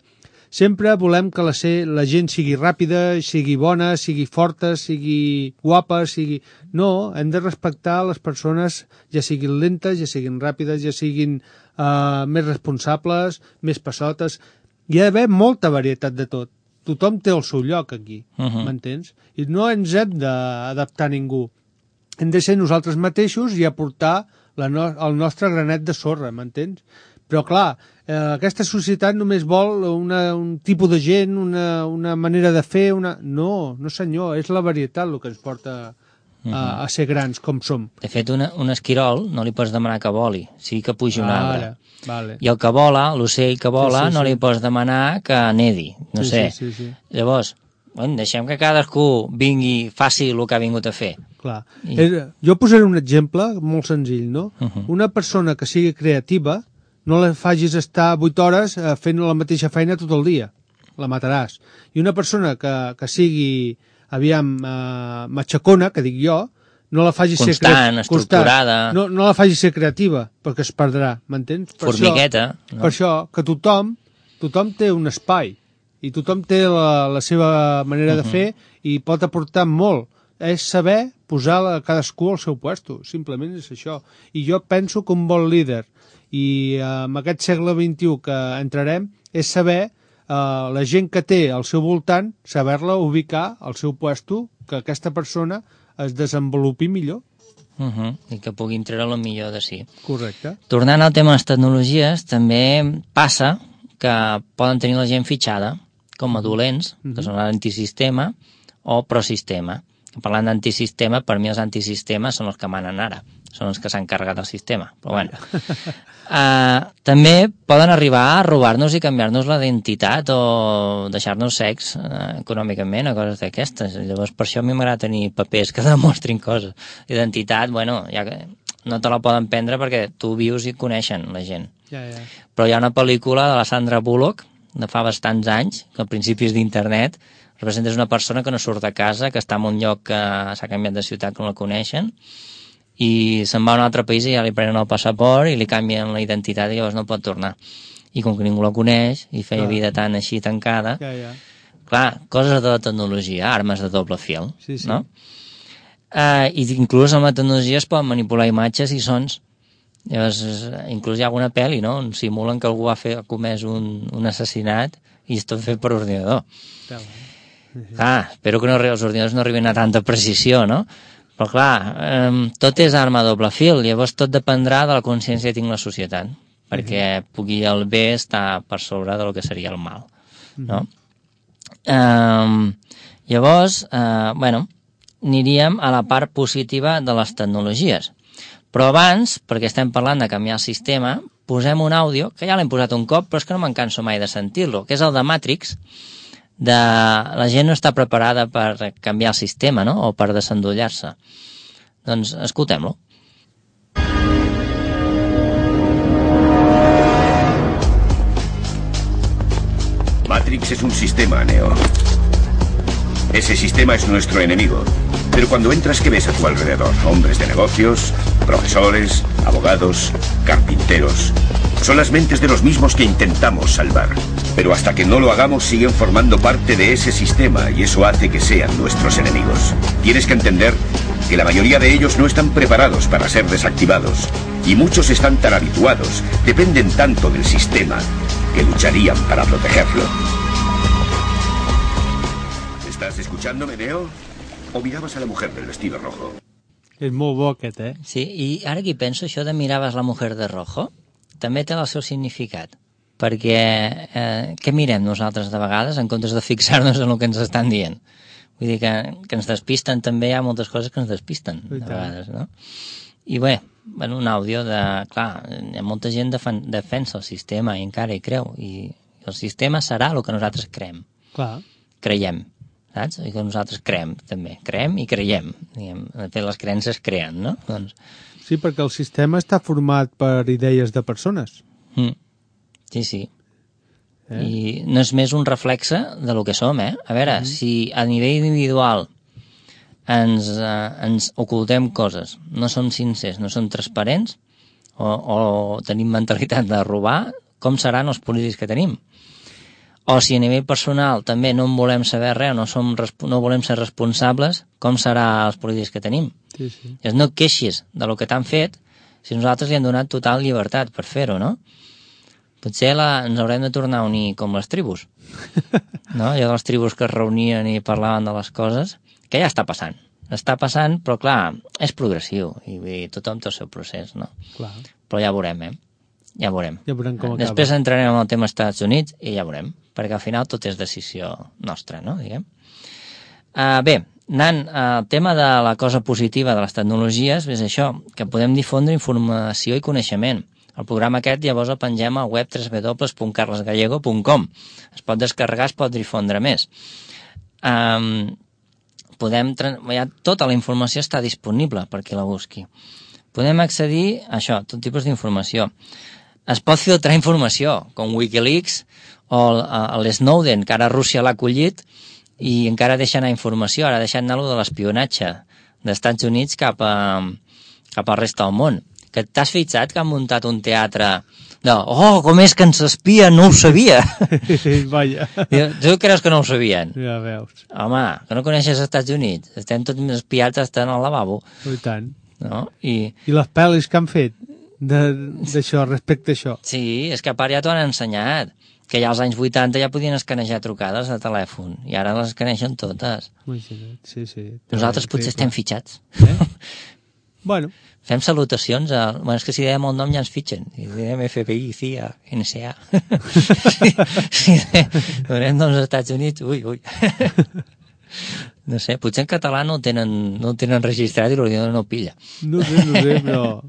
sempre volem que la gent sigui ràpida, sigui bona, sigui forta, sigui guapa, sigui... No, hem de respectar les persones, ja siguin lentes, ja siguin ràpides, ja siguin més responsables, més passotes. Hi ha d'haver molta varietat de tot. Tothom té el seu lloc aquí, m'entens? I no ens hem d'adaptar a ningú. Hem de ser nosaltres mateixos i aportar el nostre granet de sorra, m'entens? Però clar, aquesta societat només vol un tipus de gent, una manera de fer, No senyor, és la varietat el que ens porta a ser grans com som. De fet, un esquirol no li pots demanar que voli, sí que pugi un arbre. Vale. I el que vola, l'ocell que vola, no li pots demanar que nedi, no sé. Sí. Llavors, deixem que cadascú vingui, faci el que ha vingut a fer. Clar. Jo posaré un exemple molt senzill, no? Una persona que sigui creativa, no la facis estar 8 hores fent la mateixa feina tot el dia. La mataràs. I una persona que sigui, matxacona, que dic jo, no la facis ser constant, estructurada. No la facis ser creativa, perquè es perdrà, m'entens? Formigueta. Per això que tothom té un espai i tothom té la seva manera de fer i pot aportar molt. És saber posar cadascú al seu puesto, simplement és això. I jo penso que un bon líder i en aquest segle XXI que entrarem és saber la gent que té al seu voltant, saber-la ubicar al seu puesto, que aquesta persona es desenvolupi millor. I que puguin treure el millor de si. Correcte. Tornant al tema de les tecnologies, també passa que poden tenir la gent fitxada com a dolents, que són l'antisistema o prosistema. Parlant d'antisistema, per mi els antisistemes són els que manen ara, són els que s'han carregat del sistema. Però bueno. També poden arribar a robar-nos i canviar-nos la identitat o deixar-nos secs econòmicament o coses d'aquestes. Llavors, per això a mi m'agrada tenir papers que demostrin coses. Identitat, bueno, ja que no te la poden prendre perquè tu vius i coneixen la gent. Ja. Però hi ha una pel·lícula de la Sandra Bullock, de fa bastants anys, que al principi és d'internet, representa una persona que no surt de casa, que està en un lloc que s'ha canviat de ciutat, que no la coneixen, i se'n va a un altre país i ja li prenen el passaport i li canvien la identitat i llavors no pot tornar. I com que ningú la coneix i feia vida tan així tancada, clar, coses de la tecnologia, armes de doble fil, no? I inclús amb la tecnologia es poden manipular imatges i sons. Llavors, inclús hi ha alguna pel·li, no?, on simulen que algú ha comès un assassinat i és tot fet per ordinador. Clar, espero que els ordinadors no arribin a tanta precisió, no? Però clar, tot és arma a doble fil, llavors tot dependrà de la consciència que tinc la societat, perquè pugui el bé estar per sobre del que seria el mal, no? Llavors, bueno, aniríem a la part positiva de les tecnologies. Però abans, perquè estem parlant de canviar el sistema, posem un àudio, que ja l'hem posat un cop, però és que no me'n canso mai de sentir-lo, que és el de Matrix, de la gent no està preparada per canviar el sistema, no?, o per desendollar-se. Doncs escoltem-lo. Matrix es un sistema, Neo. Ese sistema es nuestro enemigo. Pero cuando entras, ¿qué ves a tu alrededor? Hombres de negocios, profesores, abogados, carpinteros. Son las mentes de los mismos que intentamos salvar. Pero hasta que no lo hagamos siguen formando parte de ese sistema y eso hace que sean nuestros enemigos. Tienes que entender que la mayoría de ellos no están preparados para ser desactivados y muchos están tan habituados, dependen tanto del sistema, que lucharían para protegerlo. ¿Estás escuchándome, Neo? ¿O mirabas a la mujer del vestido rojo? És molt bo aquest, Sí, i ara que hi penso, això de miraves la mujer de rojo també té el seu significat, perquè què mirem nosaltres de vegades en comptes de fixar-nos en el que ens estan dient? Vull dir que ens despisten també, hi ha moltes coses que ens despisten de vegades, no? I bé, un àudio de... Clar, molta gent defensa el sistema i encara hi creu, i el sistema serà el que nosaltres creiem. Clar. Creiem, saps? I que nosaltres creem, també. Creem i creiem. Diguem, de fet, les creences creen, no? Doncs... Sí, perquè el sistema està format per idees de persones. Sí, sí. I no és més un reflexe de lo que som, A veure, si a nivell individual ens ocultem coses, no som sincers, no som transparents, o tenim mentalitat de robar, com seran els polítics que tenim? O si a nivell personal també no en volem saber res, no volem ser responsables, com serà els polítics que tenim? Sí, sí. És no queixis de lo que t'han fet si nosaltres li hem donat total llibertat per fer-ho, no? Potser ens haurem de tornar a unir com les tribus, no? Allò de les tribus que es reunien i parlaven de les coses, que ja està passant. Està passant, però clar, és progressiu, i tothom té el seu procés, no? Clar. Però ja veurem, Ja veurem. Ja veurem com acaba. Després entrarem en el tema Estats Units i ja veurem, perquè al final tot és decisió nostra, no? Diguem. Bé, anant al tema de la cosa positiva de les tecnologies, és això, que podem difondre informació i coneixement. El programa aquest llavors el pengem al web www.carlesgallego.com. Es pot descarregar, es pot difondre més. Tota la informació està disponible per qui la busqui. Podem accedir a això, tot tipus d'informació. Es pot filtrar informació, com Wikileaks o l'Snowden, que ara Rússia l'ha acollit i encara deixa anar informació, ara deixa anar de l'espionatge dels Estats Units cap a la resta del món. Que t'has fixat que han muntat un teatre de, com és que ens espien, no ho sabia. Vaja. Tu creus que no ho sabien? Ja veus. Home, que no coneixes els Estats Units. Estem tots espiats estant al lavabo. I tant. No? I les pel·lis que han fet d'això, respecte a això? Sí, és que a part ja t'ho han ensenyat. Que ja als anys 80 ja podien escanejar trucades de telèfon. I ara les escanegen totes. Imagina't, sí. Nosaltres potser estem fitxats. Bueno. Fem salutacions Bueno, és que si dèiem el nom ja ens fitxen. Si dèiem FBI, CIA, NSA. Si donem noms als Estats Units, ui. No sé, potser en català no el tenen registrat i l'ordinador no ho pilla. No sé, però...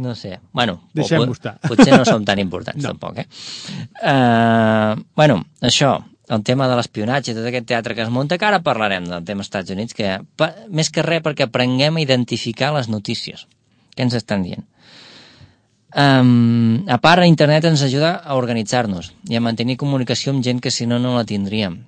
No sé, bueno... Deixem-ho estar. Potser no som tan importants, tampoc, Bueno, això... El tema de l'espionatge, tot aquest teatre que es munta, que ara parlarem del tema Estats Units, que més que res perquè aprenguem a identificar les notícies. Què ens estan dient? A part, internet ens ajuda a organitzar-nos i a mantenir comunicació amb gent que si no la tindríem.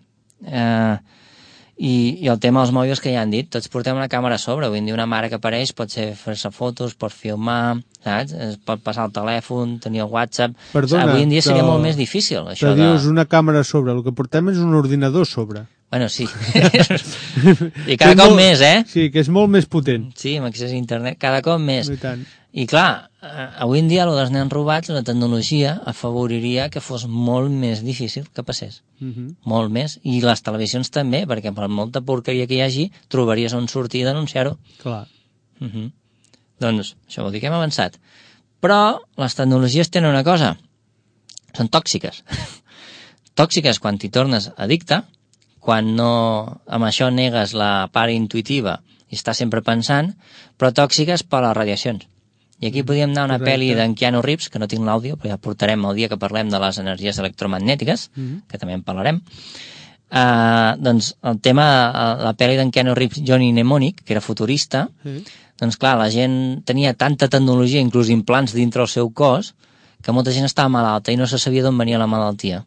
I el tema dels mòbils que ja han dit, tots portem una càmera a sobre. Avui en dia una mare que apareix pot fer-se fotos, pot filmar, saps? Es pot passar el telèfon, tenir el WhatsApp. Perdona, avui en dia seria molt més difícil, això de... dius una càmera a sobre, el que portem és un ordinador a sobre. Bueno, sí. I cada cop més, Sí, que és molt més potent. Sí, amb accés a internet, cada cop més. I tant. I clar, avui en dia, el dels nens robats, la tecnologia afavoriria que fos molt més difícil que passés. Molt més. I les televisions també, perquè per molta porqueria que hi hagi, trobaries on sortir i denunciar-ho. Clar. Doncs, això vol dir que hem avançat. Però les tecnologies tenen una cosa. Són tòxiques. Tòxiques quan t'hi tornes addicte, quan no amb això negues la part intuïtiva i estàs sempre pensant, però tòxiques per les radiacions. I aquí podríem anar a una pel·li d'en Keanu Reeves, que no tinc l'àudio, però ja portarem el dia que parlem de les energies electromagnètiques, que també en parlarem. Doncs el tema, la pel·li d'en Keanu Reeves, Johnny Mnemonic, que era futurista, doncs clar, la gent tenia tanta tecnologia, inclús implants dintre el seu cos, que molta gent estava malalta i no se sabia d'on venia la malaltia.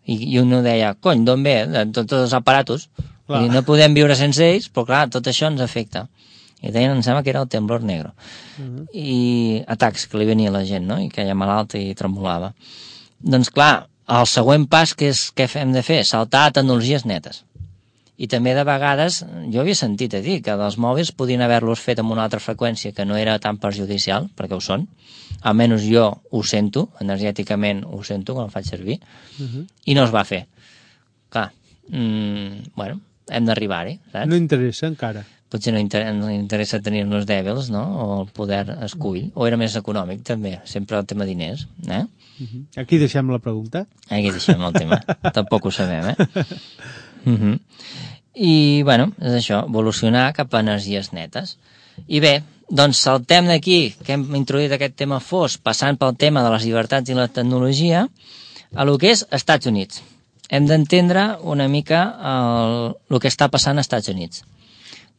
I un deia, cony, d'on ve? De tots els aparatos. No podem viure sense ells, però clar, tot això ens afecta. I deien, em sembla que era el temblor negre. I atacs que li venia a la gent, no? I que ella malalta i tremolava. Doncs clar, el següent pas que hem de fer, saltar a tecnologies netes. I també de vegades, jo havia sentit a dir que dels mòbils podien haver-los fet amb una altra freqüència que no era tan perjudicial, perquè ho són, almenys jo ho sento, energèticament ho sento quan el faig servir, i no es va fer. Clar, bueno, hem d'arribar-hi, saps? No interessa encara. Potser no interessa tenir-nos dèbils, no? O el poder escull, o era més econòmic també, sempre el tema diners, eh? Aquí deixem la pregunta. Aquí deixem el tema, tampoc ho sabem, eh? I, bueno, és això, evolucionar cap a energies netes. I bé, doncs saltem d'aquí, que hem introduït aquest tema fosc, passant pel tema de les llibertats i la tecnologia, a lo que és Estats Units. Hem d'entendre una mica el que està passant als Estats Units.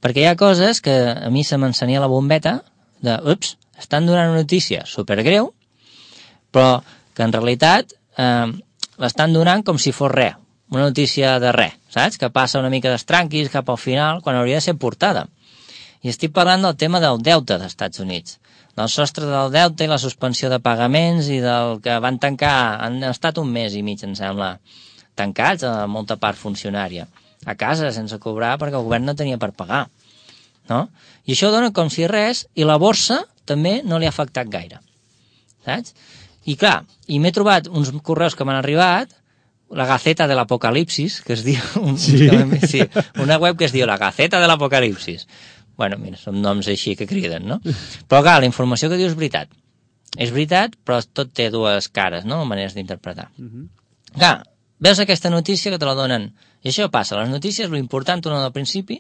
Perquè hi ha coses que a mi se m'encenia la bombeta de, ups, estan donant una notícia supergreu, però que en realitat l'estan donant com si fos res, una notícia de res, saps? Que passa una mica d'estranquis cap al final, quan hauria de ser portada. I estic parlant del tema del deute dels Estats Units, del sostre del deute i la suspensió de pagaments i del que van tancar, han estat 1 mes i mig, em sembla, tancats a molta part funcionària, a casa sense cobrar perquè el govern no tenia per pagar, no? I això dona com si res, i la borsa també no li ha afectat gaire, saps? I clar, i m'he trobat uns correus que m'han arribat, la Gaceta de l'Apocalipsis, que es diu... Sí, una web que es diu la Gaceta de l'Apocalipsis. Bueno, mira, són noms així que criden, no? Però clar, la informació que diu és veritat. És veritat, però tot té 2 cares, no? Maneres d'interpretar. Clar, veus aquesta notícia que te la donen... I això passa, les notícies, l'important una del principi,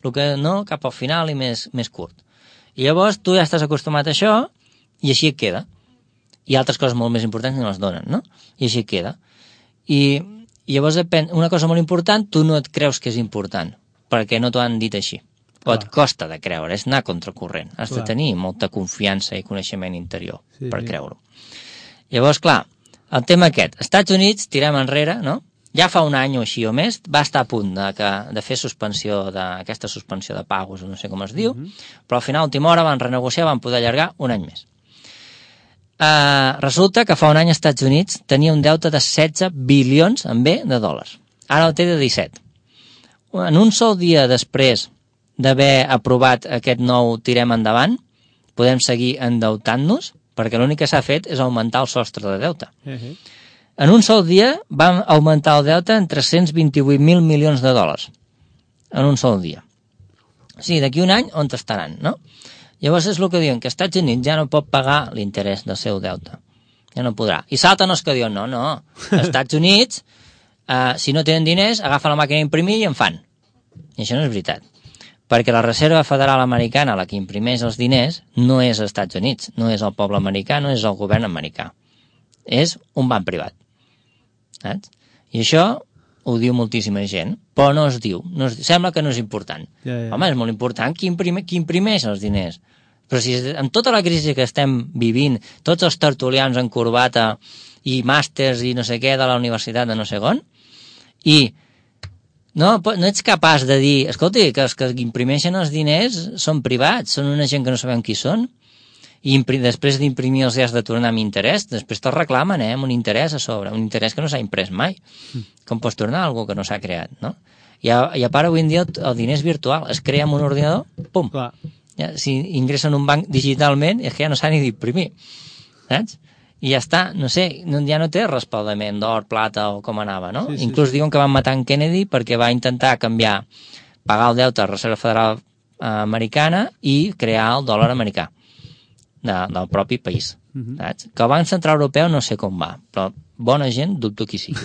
el que no, cap al final i més curt. I llavors tu ja estàs acostumat a això i així et queda. I altres coses molt més importants no les donen, no? I així et queda. I llavors una cosa molt important, tu no et creus que és important, perquè no t'ho han dit així. O et costa de creure, és anar contracorrent. Has de tenir molta confiança i coneixement interior per creure-ho. Llavors, clar, el tema aquest, Estats Units, tirem enrere, no? Ja fa 1 any o així o més, va estar a punt de fer aquesta suspensió de pagos, no sé com es diu, però al final, a última hora, van renegociar, van poder allargar 1 any més. Resulta que fa 1 any als Estats Units tenia un deute de 16 bilions amb B de dòlars. Ara el té de 17. En un sol dia després d'haver aprovat aquest nou tirem endavant, podem seguir endeutant-nos, perquè l'únic que s'ha fet és augmentar el sostre de deute. En un sol dia vam augmentar el deute en 328.000 milions de dòlars. En un sol dia. O sigui, d'aquí 1 any, on estaran, no? Llavors és el que diuen, que els Estats Units ja no pot pagar l'interès del seu deute. Ja no podrà. I salten els que diuen, no, els Estats Units, si no tenen diners, agafen la màquina d'imprimir i en fan. I això no és veritat. Perquè la Reserva Federal Americana, la que imprimeix els diners, no és als Estats Units, no és el poble americà, no és el govern americà. És un banc privat. Saps? I això ho diu moltíssima gent, però no es diu. Sembla que no és important. Home, és molt important qui imprimeix els diners. Però si amb tota la crisi que estem vivint, tots els tertulians en corbata i màsters i no sé què de la universitat de no sé on, i no ets capaç de dir, escolta, que els que imprimeixen els diners són privats, són una gent que no sabem qui són, i després d'imprimir els has de tornar amb interès, després te'l reclamen, amb un interès a sobre, un interès que no s'ha imprès mai. Com pots tornar algú que no s'ha creat, no? I a part, avui en dia el diner és virtual, es crea amb un ordinador, pum! Ja, si ingressen un banc digitalment, és que ja no s'ha ni d'imprimir, saps? I ja està, no sé, ja no té respaldament d'or, plata o com anava, no? Inclús diuen que van matar en Kennedy perquè va intentar pagar el deute a la Reserva Federal Americana i crear el dòlar americà del propi país. Saps? Que el Banc Central Europeu no sé com va, però bona gent dubto qui sigui.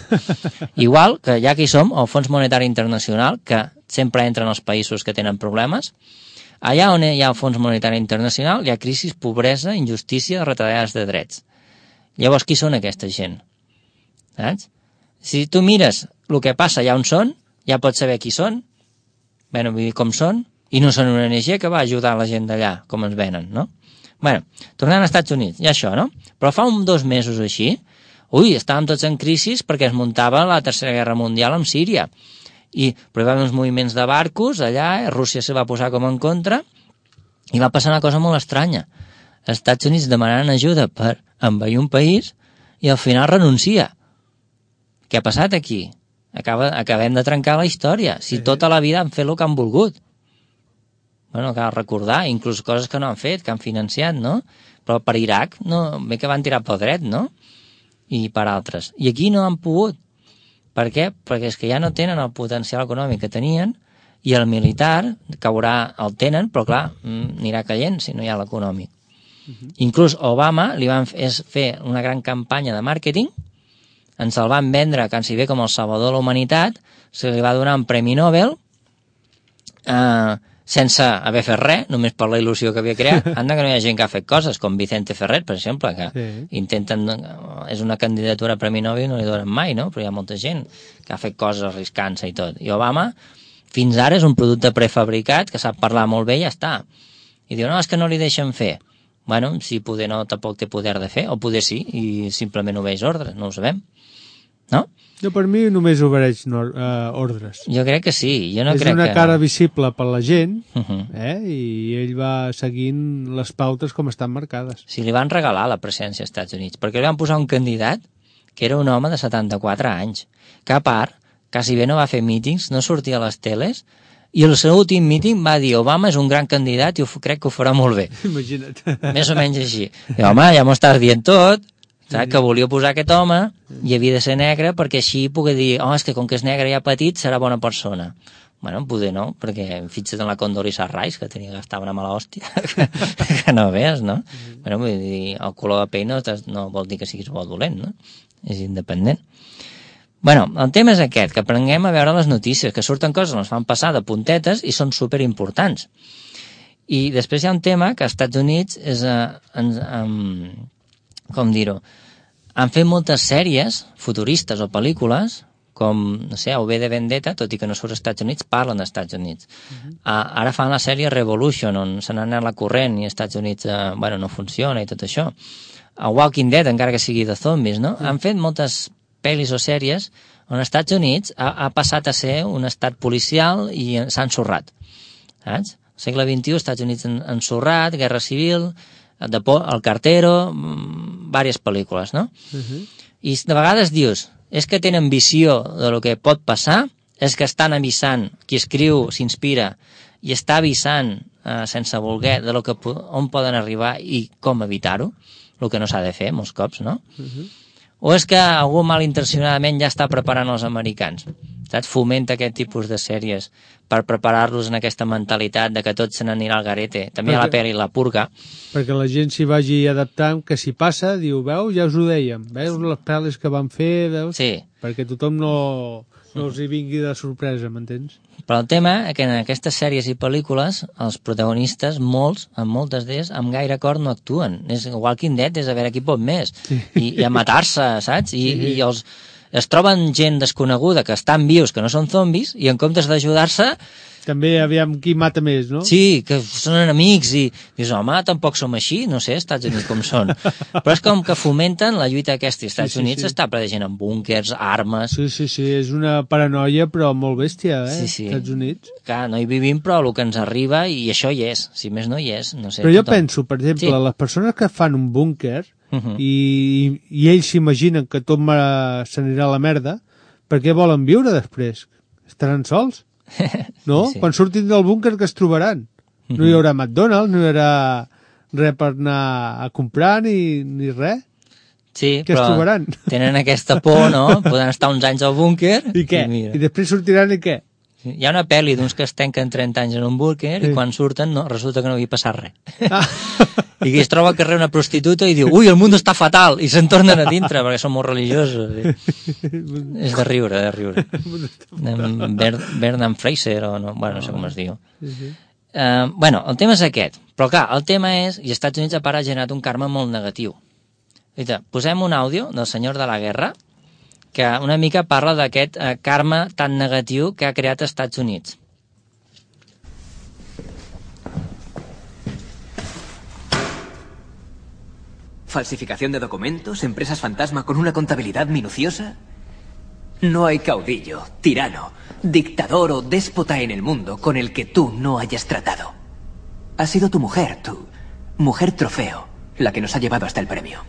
Igual que ja que hi som, el Fons Monetari Internacional, que sempre entra en els països que tenen problemes, allà on hi ha el Fons Monetari Internacional hi ha crisis, pobresa, injustícia, retallades de drets. Llavors, qui són aquesta gent? Saps? Si tu mires el que passa allà on són, ja pots saber qui són, bueno, vull dir com són, i no són una ONG que va ajudar la gent d'allà, com ens venen, no? Bueno, tornant als Estats Units, hi ha això, no? Però fa 2 mesos així, estàvem tots en crisi perquè es muntava la Tercera Guerra Mundial amb Síria. Però hi va haver uns moviments de barcos allà, Rússia se va posar com en contra, i va passar una cosa molt estranya. Els Estats Units demanant ajuda per envair un país i al final renuncia. Què ha passat aquí? Acabem de trencar la història. Si tota la vida han fet el que han volgut. Bueno, cal recordar, inclús coses que no han fet, que han financiat, no? Però per Iraq, no, bé que van tirar pel dret, no? I per altres. I aquí no han pogut. Per què? Perquè és que ja no tenen el potencial econòmic que tenien i el militar el tenen, però clar, anirà caient si no hi ha l'econòmic. Inclús Obama li van fer una gran campanya de màrqueting, ens el van vendre quasi bé com el salvador de la humanitat, se li va donar un premi Nobel sense haver fet res, només per la il·lusió que havia creat. Anda que no hi ha gent que ha fet coses, com Vicente Ferrer, per exemple, que intenten... És una candidatura a premi Nobel i no li donen mai, no? Però hi ha molta gent que ha fet coses arriscant-se i tot. I Obama, fins ara, és un producte prefabricat que sap parlar molt bé i ja està. I diu, no, és que no li deixen fer. Bueno, si poder no, tampoc té poder de fer, o poder sí, i simplement obeix ordres, no ho sabem. No? Jo per mi només obeix ordres. Jo crec que sí. Jo no és crec una que... cara visible per la gent, i ell va seguint les pautes com estan marcades. Sí, li van regalar la presència als Estats Units, perquè li van posar un candidat que era un home de 74 anys, que a part, quasi bé no va fer mítings, no sortia a les teles, i el seu últim míting va dir Obama és un gran candidat i crec que ho farà molt bé. Imagina't. Més o menys així. I, home, ja m'ho estàs dient tot, saps? Que volia posar aquest home i havia de ser negre perquè així poder dir, és que com que és negre i ja petit serà bona persona. Bueno, poder no, perquè fixa't en la Condoleezza Rice, que tenia que estar una mala hòstia, que no veus, no? Bueno, vull dir, el color de pell no vol dir que siguis bo o dolent, no? És independent. Bueno, el tema és aquest, que aprenguem a veure les notícies, que surten coses, ens fan passar de puntetes i són superimportants. I després hi ha un tema que als Estats Units és, com dir-ho, han fet moltes sèries futuristes o pel·lícules, com, no sé, V de Vendetta, tot i que no surt als Estats Units, parlen dels Estats Units. Ara fan la sèrie Revolution, on se n'ha anat la corrent i als Estats Units, no funciona i tot això. A Walking Dead, encara que sigui de zombis, no? Han fet moltes pel·lis o sèries on als Estats Units ha passat a ser un estat policial i s'ha ensorrat. Saps? Al segle XXI, als Estats Units ensorrat, Guerra Civil, El Cartero, diverses pel·lícules, no? I de vegades dius, és que tenen visió de lo que pot passar, és que estan avisant, qui escriu s'inspira i està avisant sense voler de lo que, on poden arribar i com evitar-ho, el que no s'ha de fer molts cops, no? O és que algú malintencionadament ja està preparant els americans, saps? Fomenta aquest tipus de sèries per preparar-los en aquesta mentalitat de que tot se n'anirà al garete. També hi ha la pel·li La Purga. Perquè la gent s'hi vagi adaptant, que si passa, diu, veu, ja us ho dèiem, veus les pel·lis que van fer, veus? Sí. Perquè tothom no els hi vingui de sorpresa, m'entens? Però el tema és que en aquestes sèries i pel·lícules els protagonistes, moltes d'ells, amb gaire acord no actuen. Walking Dead és a veure qui pot més. I a matar-se, saps? I es troben gent desconeguda que estan vius, que no són zombis, i en comptes d'ajudar-se... També aviam qui mata més, no? Sí, que són enemics i dius, home, tampoc som així, no sé, Estats Units com són. Però és com que fomenten la lluita aquesta. Estats Units està ple de gent amb búnquers, armes... Sí, és una paranoia, però molt bèstia, Estats Units. Clar, no hi vivim, però el que ens arriba, i això hi és, si més no hi és, no sé. Però jo penso, per exemple, les persones que fan un búnquer i ells s'imaginen que tot s'anirà a la merda, per què volen viure després? Estaran sols? No? Sí. Quan surtin del búnquer, que es trobaran? No hi haurà McDonald's, no hi haurà res per anar a comprar ni res. Sí, que es trobaran? Tenen aquesta por, no? Poden estar uns anys al búnquer. I què? I després sortiran i què? Hi ha una pel·li d'uns que es tanquen 30 anys en un búnquer i quan surten resulta que no havia passat res. I que es troba al carrer una prostituta i diu, ui, el món està fatal, i se'n tornen a dintre perquè són molt religiosos. És de riure, de riure. Bernard Fraser, o no, no sé com es diu. El tema és aquest, però clar, el tema és, i als Estats Units a part ha generat un karma molt negatiu. Posem un àudio del senyor de la guerra que una mica parla d'aquest karma tan negatiu que ha creat als Estats Units. ¿Falsificación de documentos? ¿Empresas fantasma con una contabilidad minuciosa? No hay caudillo, tirano, dictador o déspota en el mundo con el que tú no hayas tratado. Ha sido tu mujer trofeo, la que nos ha llevado hasta el premio.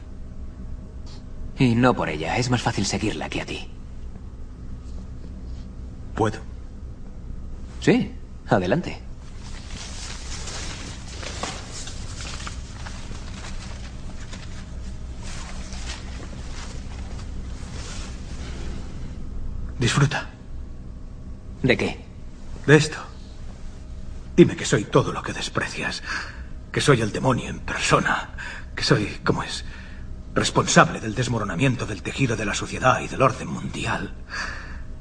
Y no por ella, es más fácil seguirla que a ti. ¿Puedo? Sí, adelante. Disfruta. ¿De qué? De esto. Dime que soy todo lo que desprecias. Que soy el demonio en persona. Que soy, ¿cómo es? Responsable del desmoronamiento del tejido de la sociedad y del orden mundial.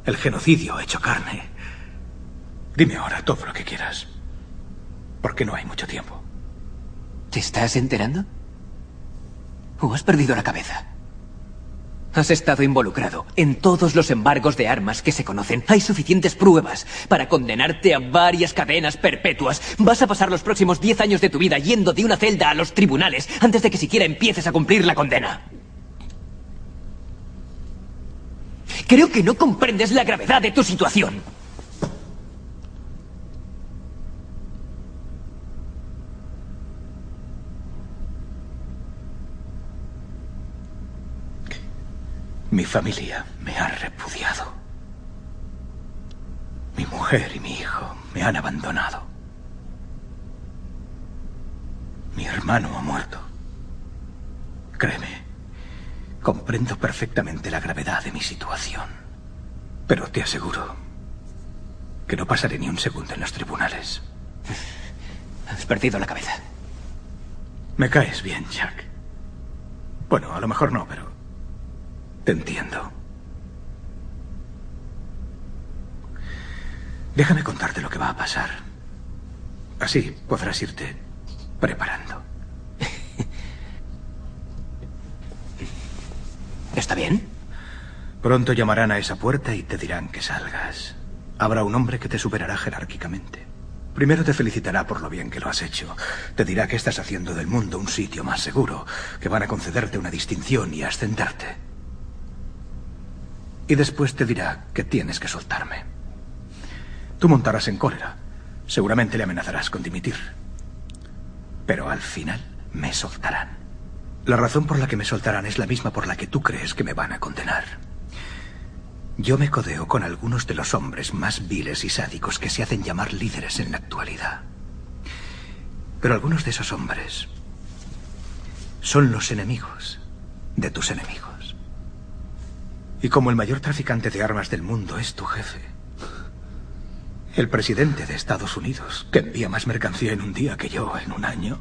El genocidio hecho carne. Dime ahora todo lo que quieras. Porque no hay mucho tiempo. ¿Te estás enterando? ¿O has perdido la cabeza? Has estado involucrado en todos los embargos de armas que se conocen. Hay suficientes pruebas para condenarte a varias cadenas perpetuas. Vas a pasar los próximos 10 años de tu vida yendo de una celda a los tribunales antes de que siquiera empieces a cumplir la condena. Creo que no comprendes la gravedad de tu situación. Mi familia me ha repudiado. Mi mujer y mi hijo me han abandonado. Mi hermano ha muerto. Créeme, comprendo perfectamente la gravedad de mi situación. Pero te aseguro que no pasaré ni un segundo en los tribunales. Has perdido la cabeza. Me caes bien, Jack. Bueno, a lo mejor no, pero te entiendo. Déjame contarte lo que va a pasar. Así podrás irte preparando. ¿Está bien? Pronto llamarán a esa puerta y te dirán que salgas. Habrá un hombre que te superará jerárquicamente. Primero te felicitará por lo bien que lo has hecho. Te dirá que estás haciendo del mundo un sitio más seguro, que van a concederte una distinción y ascenderte. Y después te dirá que tienes que soltarme. Tú montarás en cólera. Seguramente le amenazarás con dimitir. Pero al final me soltarán. La razón por la que me soltarán es la misma por la que tú crees que me van a condenar. Yo me codeo con algunos de los hombres más viles y sádicos que se hacen llamar líderes en la actualidad. Pero algunos de esos hombres son los enemigos de tus enemigos. Y como el mayor traficante de armas del mundo es tu jefe, el presidente de Estados Unidos, que envía más mercancía en un día que yo en un año,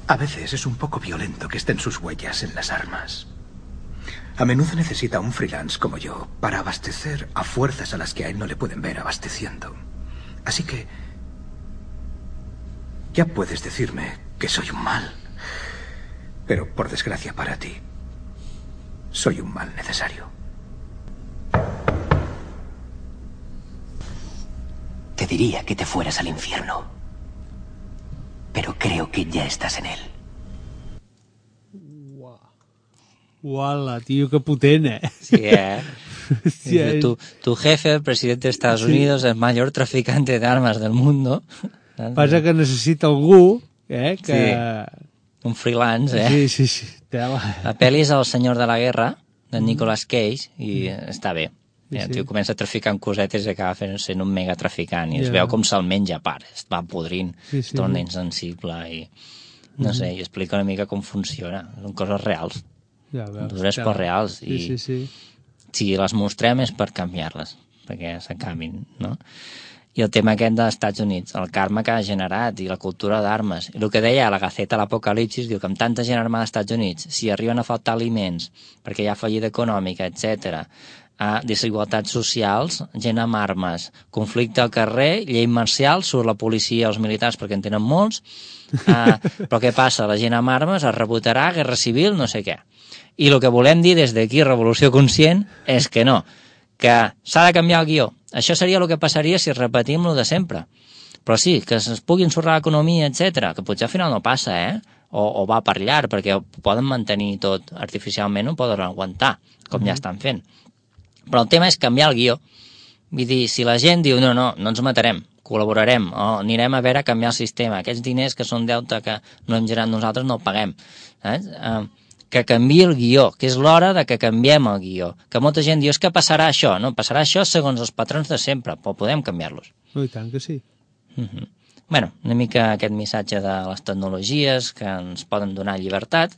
a veces es un poco violento que estén sus huellas en las armas. A menudo necesita un freelance como yo para abastecer a fuerzas a las que a él no le pueden ver abasteciendo. Así que ya puedes decirme que soy un mal, pero por desgracia para ti, soy un mal necesario. Te diría que te fueras al infierno. Pero creo que ya estás en él. Uala, tío, qué potent, eh? Sí, Hòstia, Dice, tu jefe, el presidente de Estados Unidos, el mayor traficante de armas del mundo. Passa que necessita algú, que... Sí. Un freelance, eh? Sí. La pel·li és El senyor de la guerra, de Nicolas Cage, i està bé. Sí. El tio comença traficant cosetes i acaba sent un mega traficant, i es veu com se'l menja a part, es va podrint, es torna insensible, i no sé, i explica una mica com funciona. Són coses reals, dures però reals, i si les mostrem és per canviar-les, perquè s'acabin, no? I el tema aquest dels Estats Units, el karma que ha generat i la cultura d'armes. I el que deia la Gaceta l'Apocalipsis, diu que amb tanta gent armada als Estats Units, si arriben a faltar aliments, perquè hi ha fallida econòmica, etc., desigualtats socials, gent amb armes, conflicte al carrer, llei marcial, surt la policia, els militars, perquè en tenen molts, però què passa? La gent amb armes es rebotarà, guerra civil, no sé què. I el que volem dir des d'aquí, Revolució Conscient, és que no, que s'ha de canviar el guió. Això seria el que passaria si repetim el de sempre. Però sí, que es pugui ensorrar l'economia, etc., que potser al final no passa, o va per llarg, perquè ho poden mantenir tot artificialment, ho poden aguantar, com ja estan fent. Però el tema és canviar el guió. Vull dir, si la gent diu, no ens matarem, col·laborarem, o anirem a veure a canviar el sistema, aquests diners que són deute que no hem generat nosaltres no el paguem. que canviï el guió, que és l'hora de que canviem el guió. Que molta gent diu, és que passarà això, no? Passarà això segons els patrons de sempre, però podem canviar-los. I tant que sí. Bueno, una mica aquest missatge de les tecnologies que ens poden donar llibertat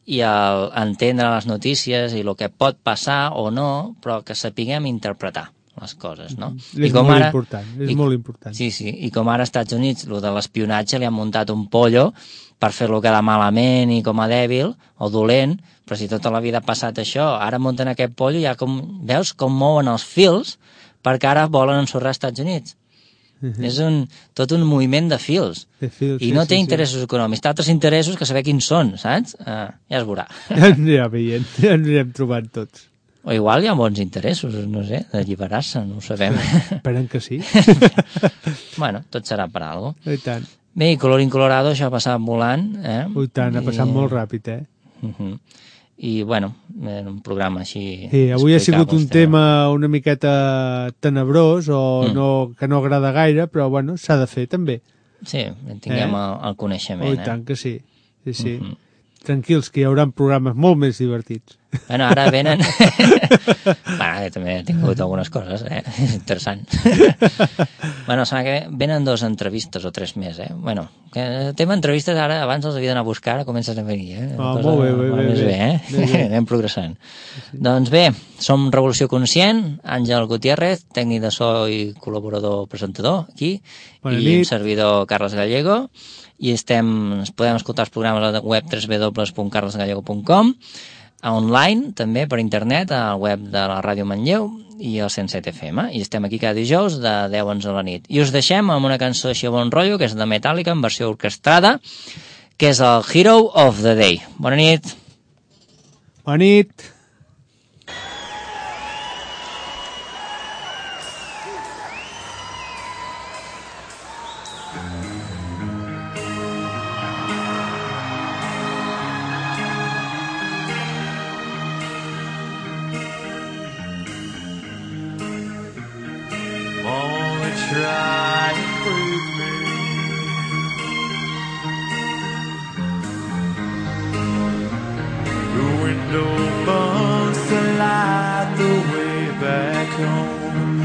i entendre les notícies i el que pot passar o no, però que sapiguem interpretar les coses, no? És molt important, és molt important. Sí, i com ara als Estats Units, el de l'espionatge li han muntat un pollo per fer-lo quedar malament i com a dèbil o dolent, però si tota la vida ha passat això, ara munten aquest pollo i ja veus com mouen els fils perquè ara volen ensorrar als Estats Units. És tot un moviment de fils. I no té interessos econòmics, té altres interessos que saber quins són, saps? Ja es veurà. Ja anirà veient, ja anirem trobant tots. O igual hi ha bons interessos, no sé, d'alliberar-se, no ho sabem. Esperem que sí. Bueno, tot serà per alguna cosa. I tant. Bé, i colorín colorado, això ha passat volant, eh? I tant, ha passat molt ràpid, eh? I, bueno, era un programa així... Sí, avui ha sigut un tema una miqueta tenebrós o que no agrada gaire, però, bueno, s'ha de fer, també. Sí, tinguem el coneixement, I tant que sí, sí. Tranquils, que hi haurà programes molt més divertits. Bueno, ara venen... Bueno, també he tingut algunes coses, és interessant. Bueno, sembla que venen 2 entrevistes o 3 més, Bueno, el tema entrevistes ara, abans els havia d'anar a buscar, ara comences a venir, Molt bé. Anem progressant. Doncs bé, som Revolució Conscient, Àngel Gutiérrez, tècnic de so i col·laborador presentador, aquí, i un servidor, Carles Gallego, i ens podem escoltar els programes a la web www.carlesgallego.com, online, també per internet, al web de la Ràdio Manlleu i al 107 FM, i estem aquí cada dijous de 10 a 11 a la nit. I us deixem amb una cançó així a bon rotllo, que és de Metallica, en versió orquestrada, que és el Hero of the Day. Bona nit! Bona nit! Try and break me. The window burns to light the way back home.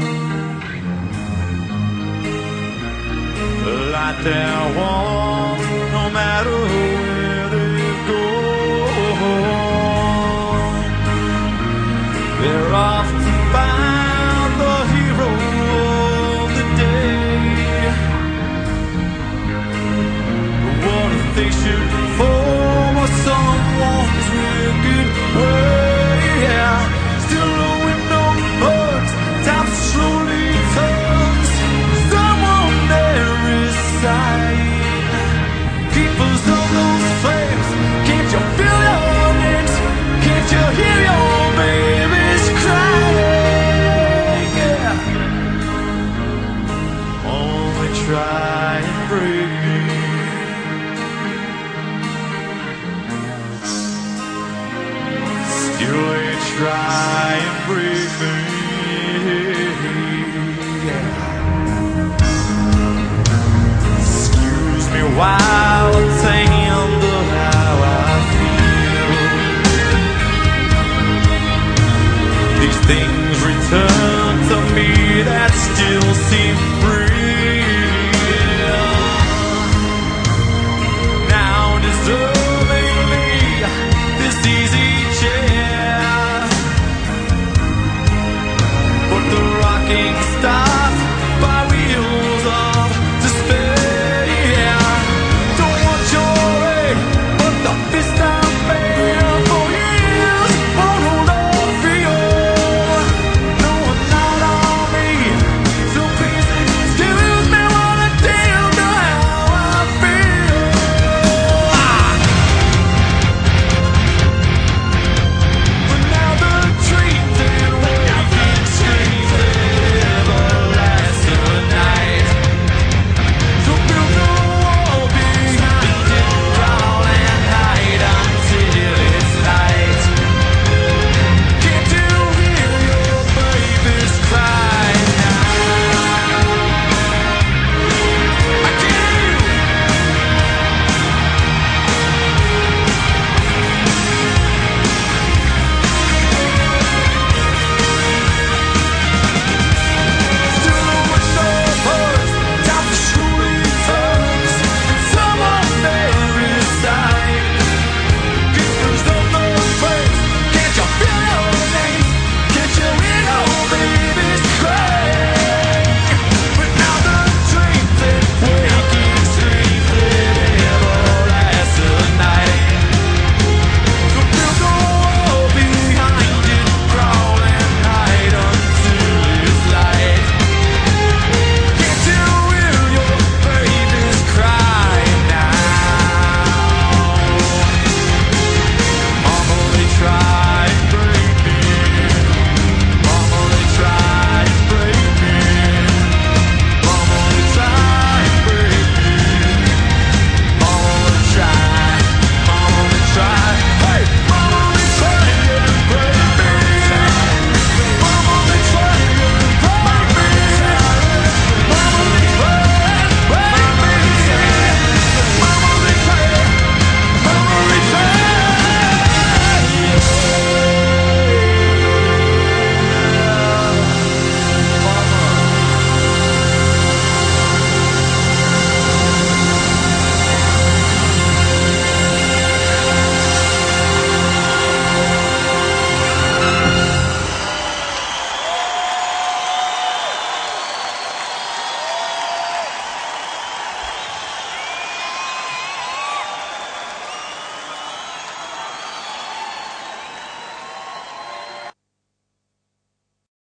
The light there won't, no matter where they go. They're off to find the hero. They should follow someone's wicked way. Still the window burns, time slowly turns. Someone there is sighing. Keepers of those flames, can't you feel your names? Can't you hear your babies crying? Only try and break me. You ain't try and break me. Excuse me while I'm saying how I feel. These things return to me that still seem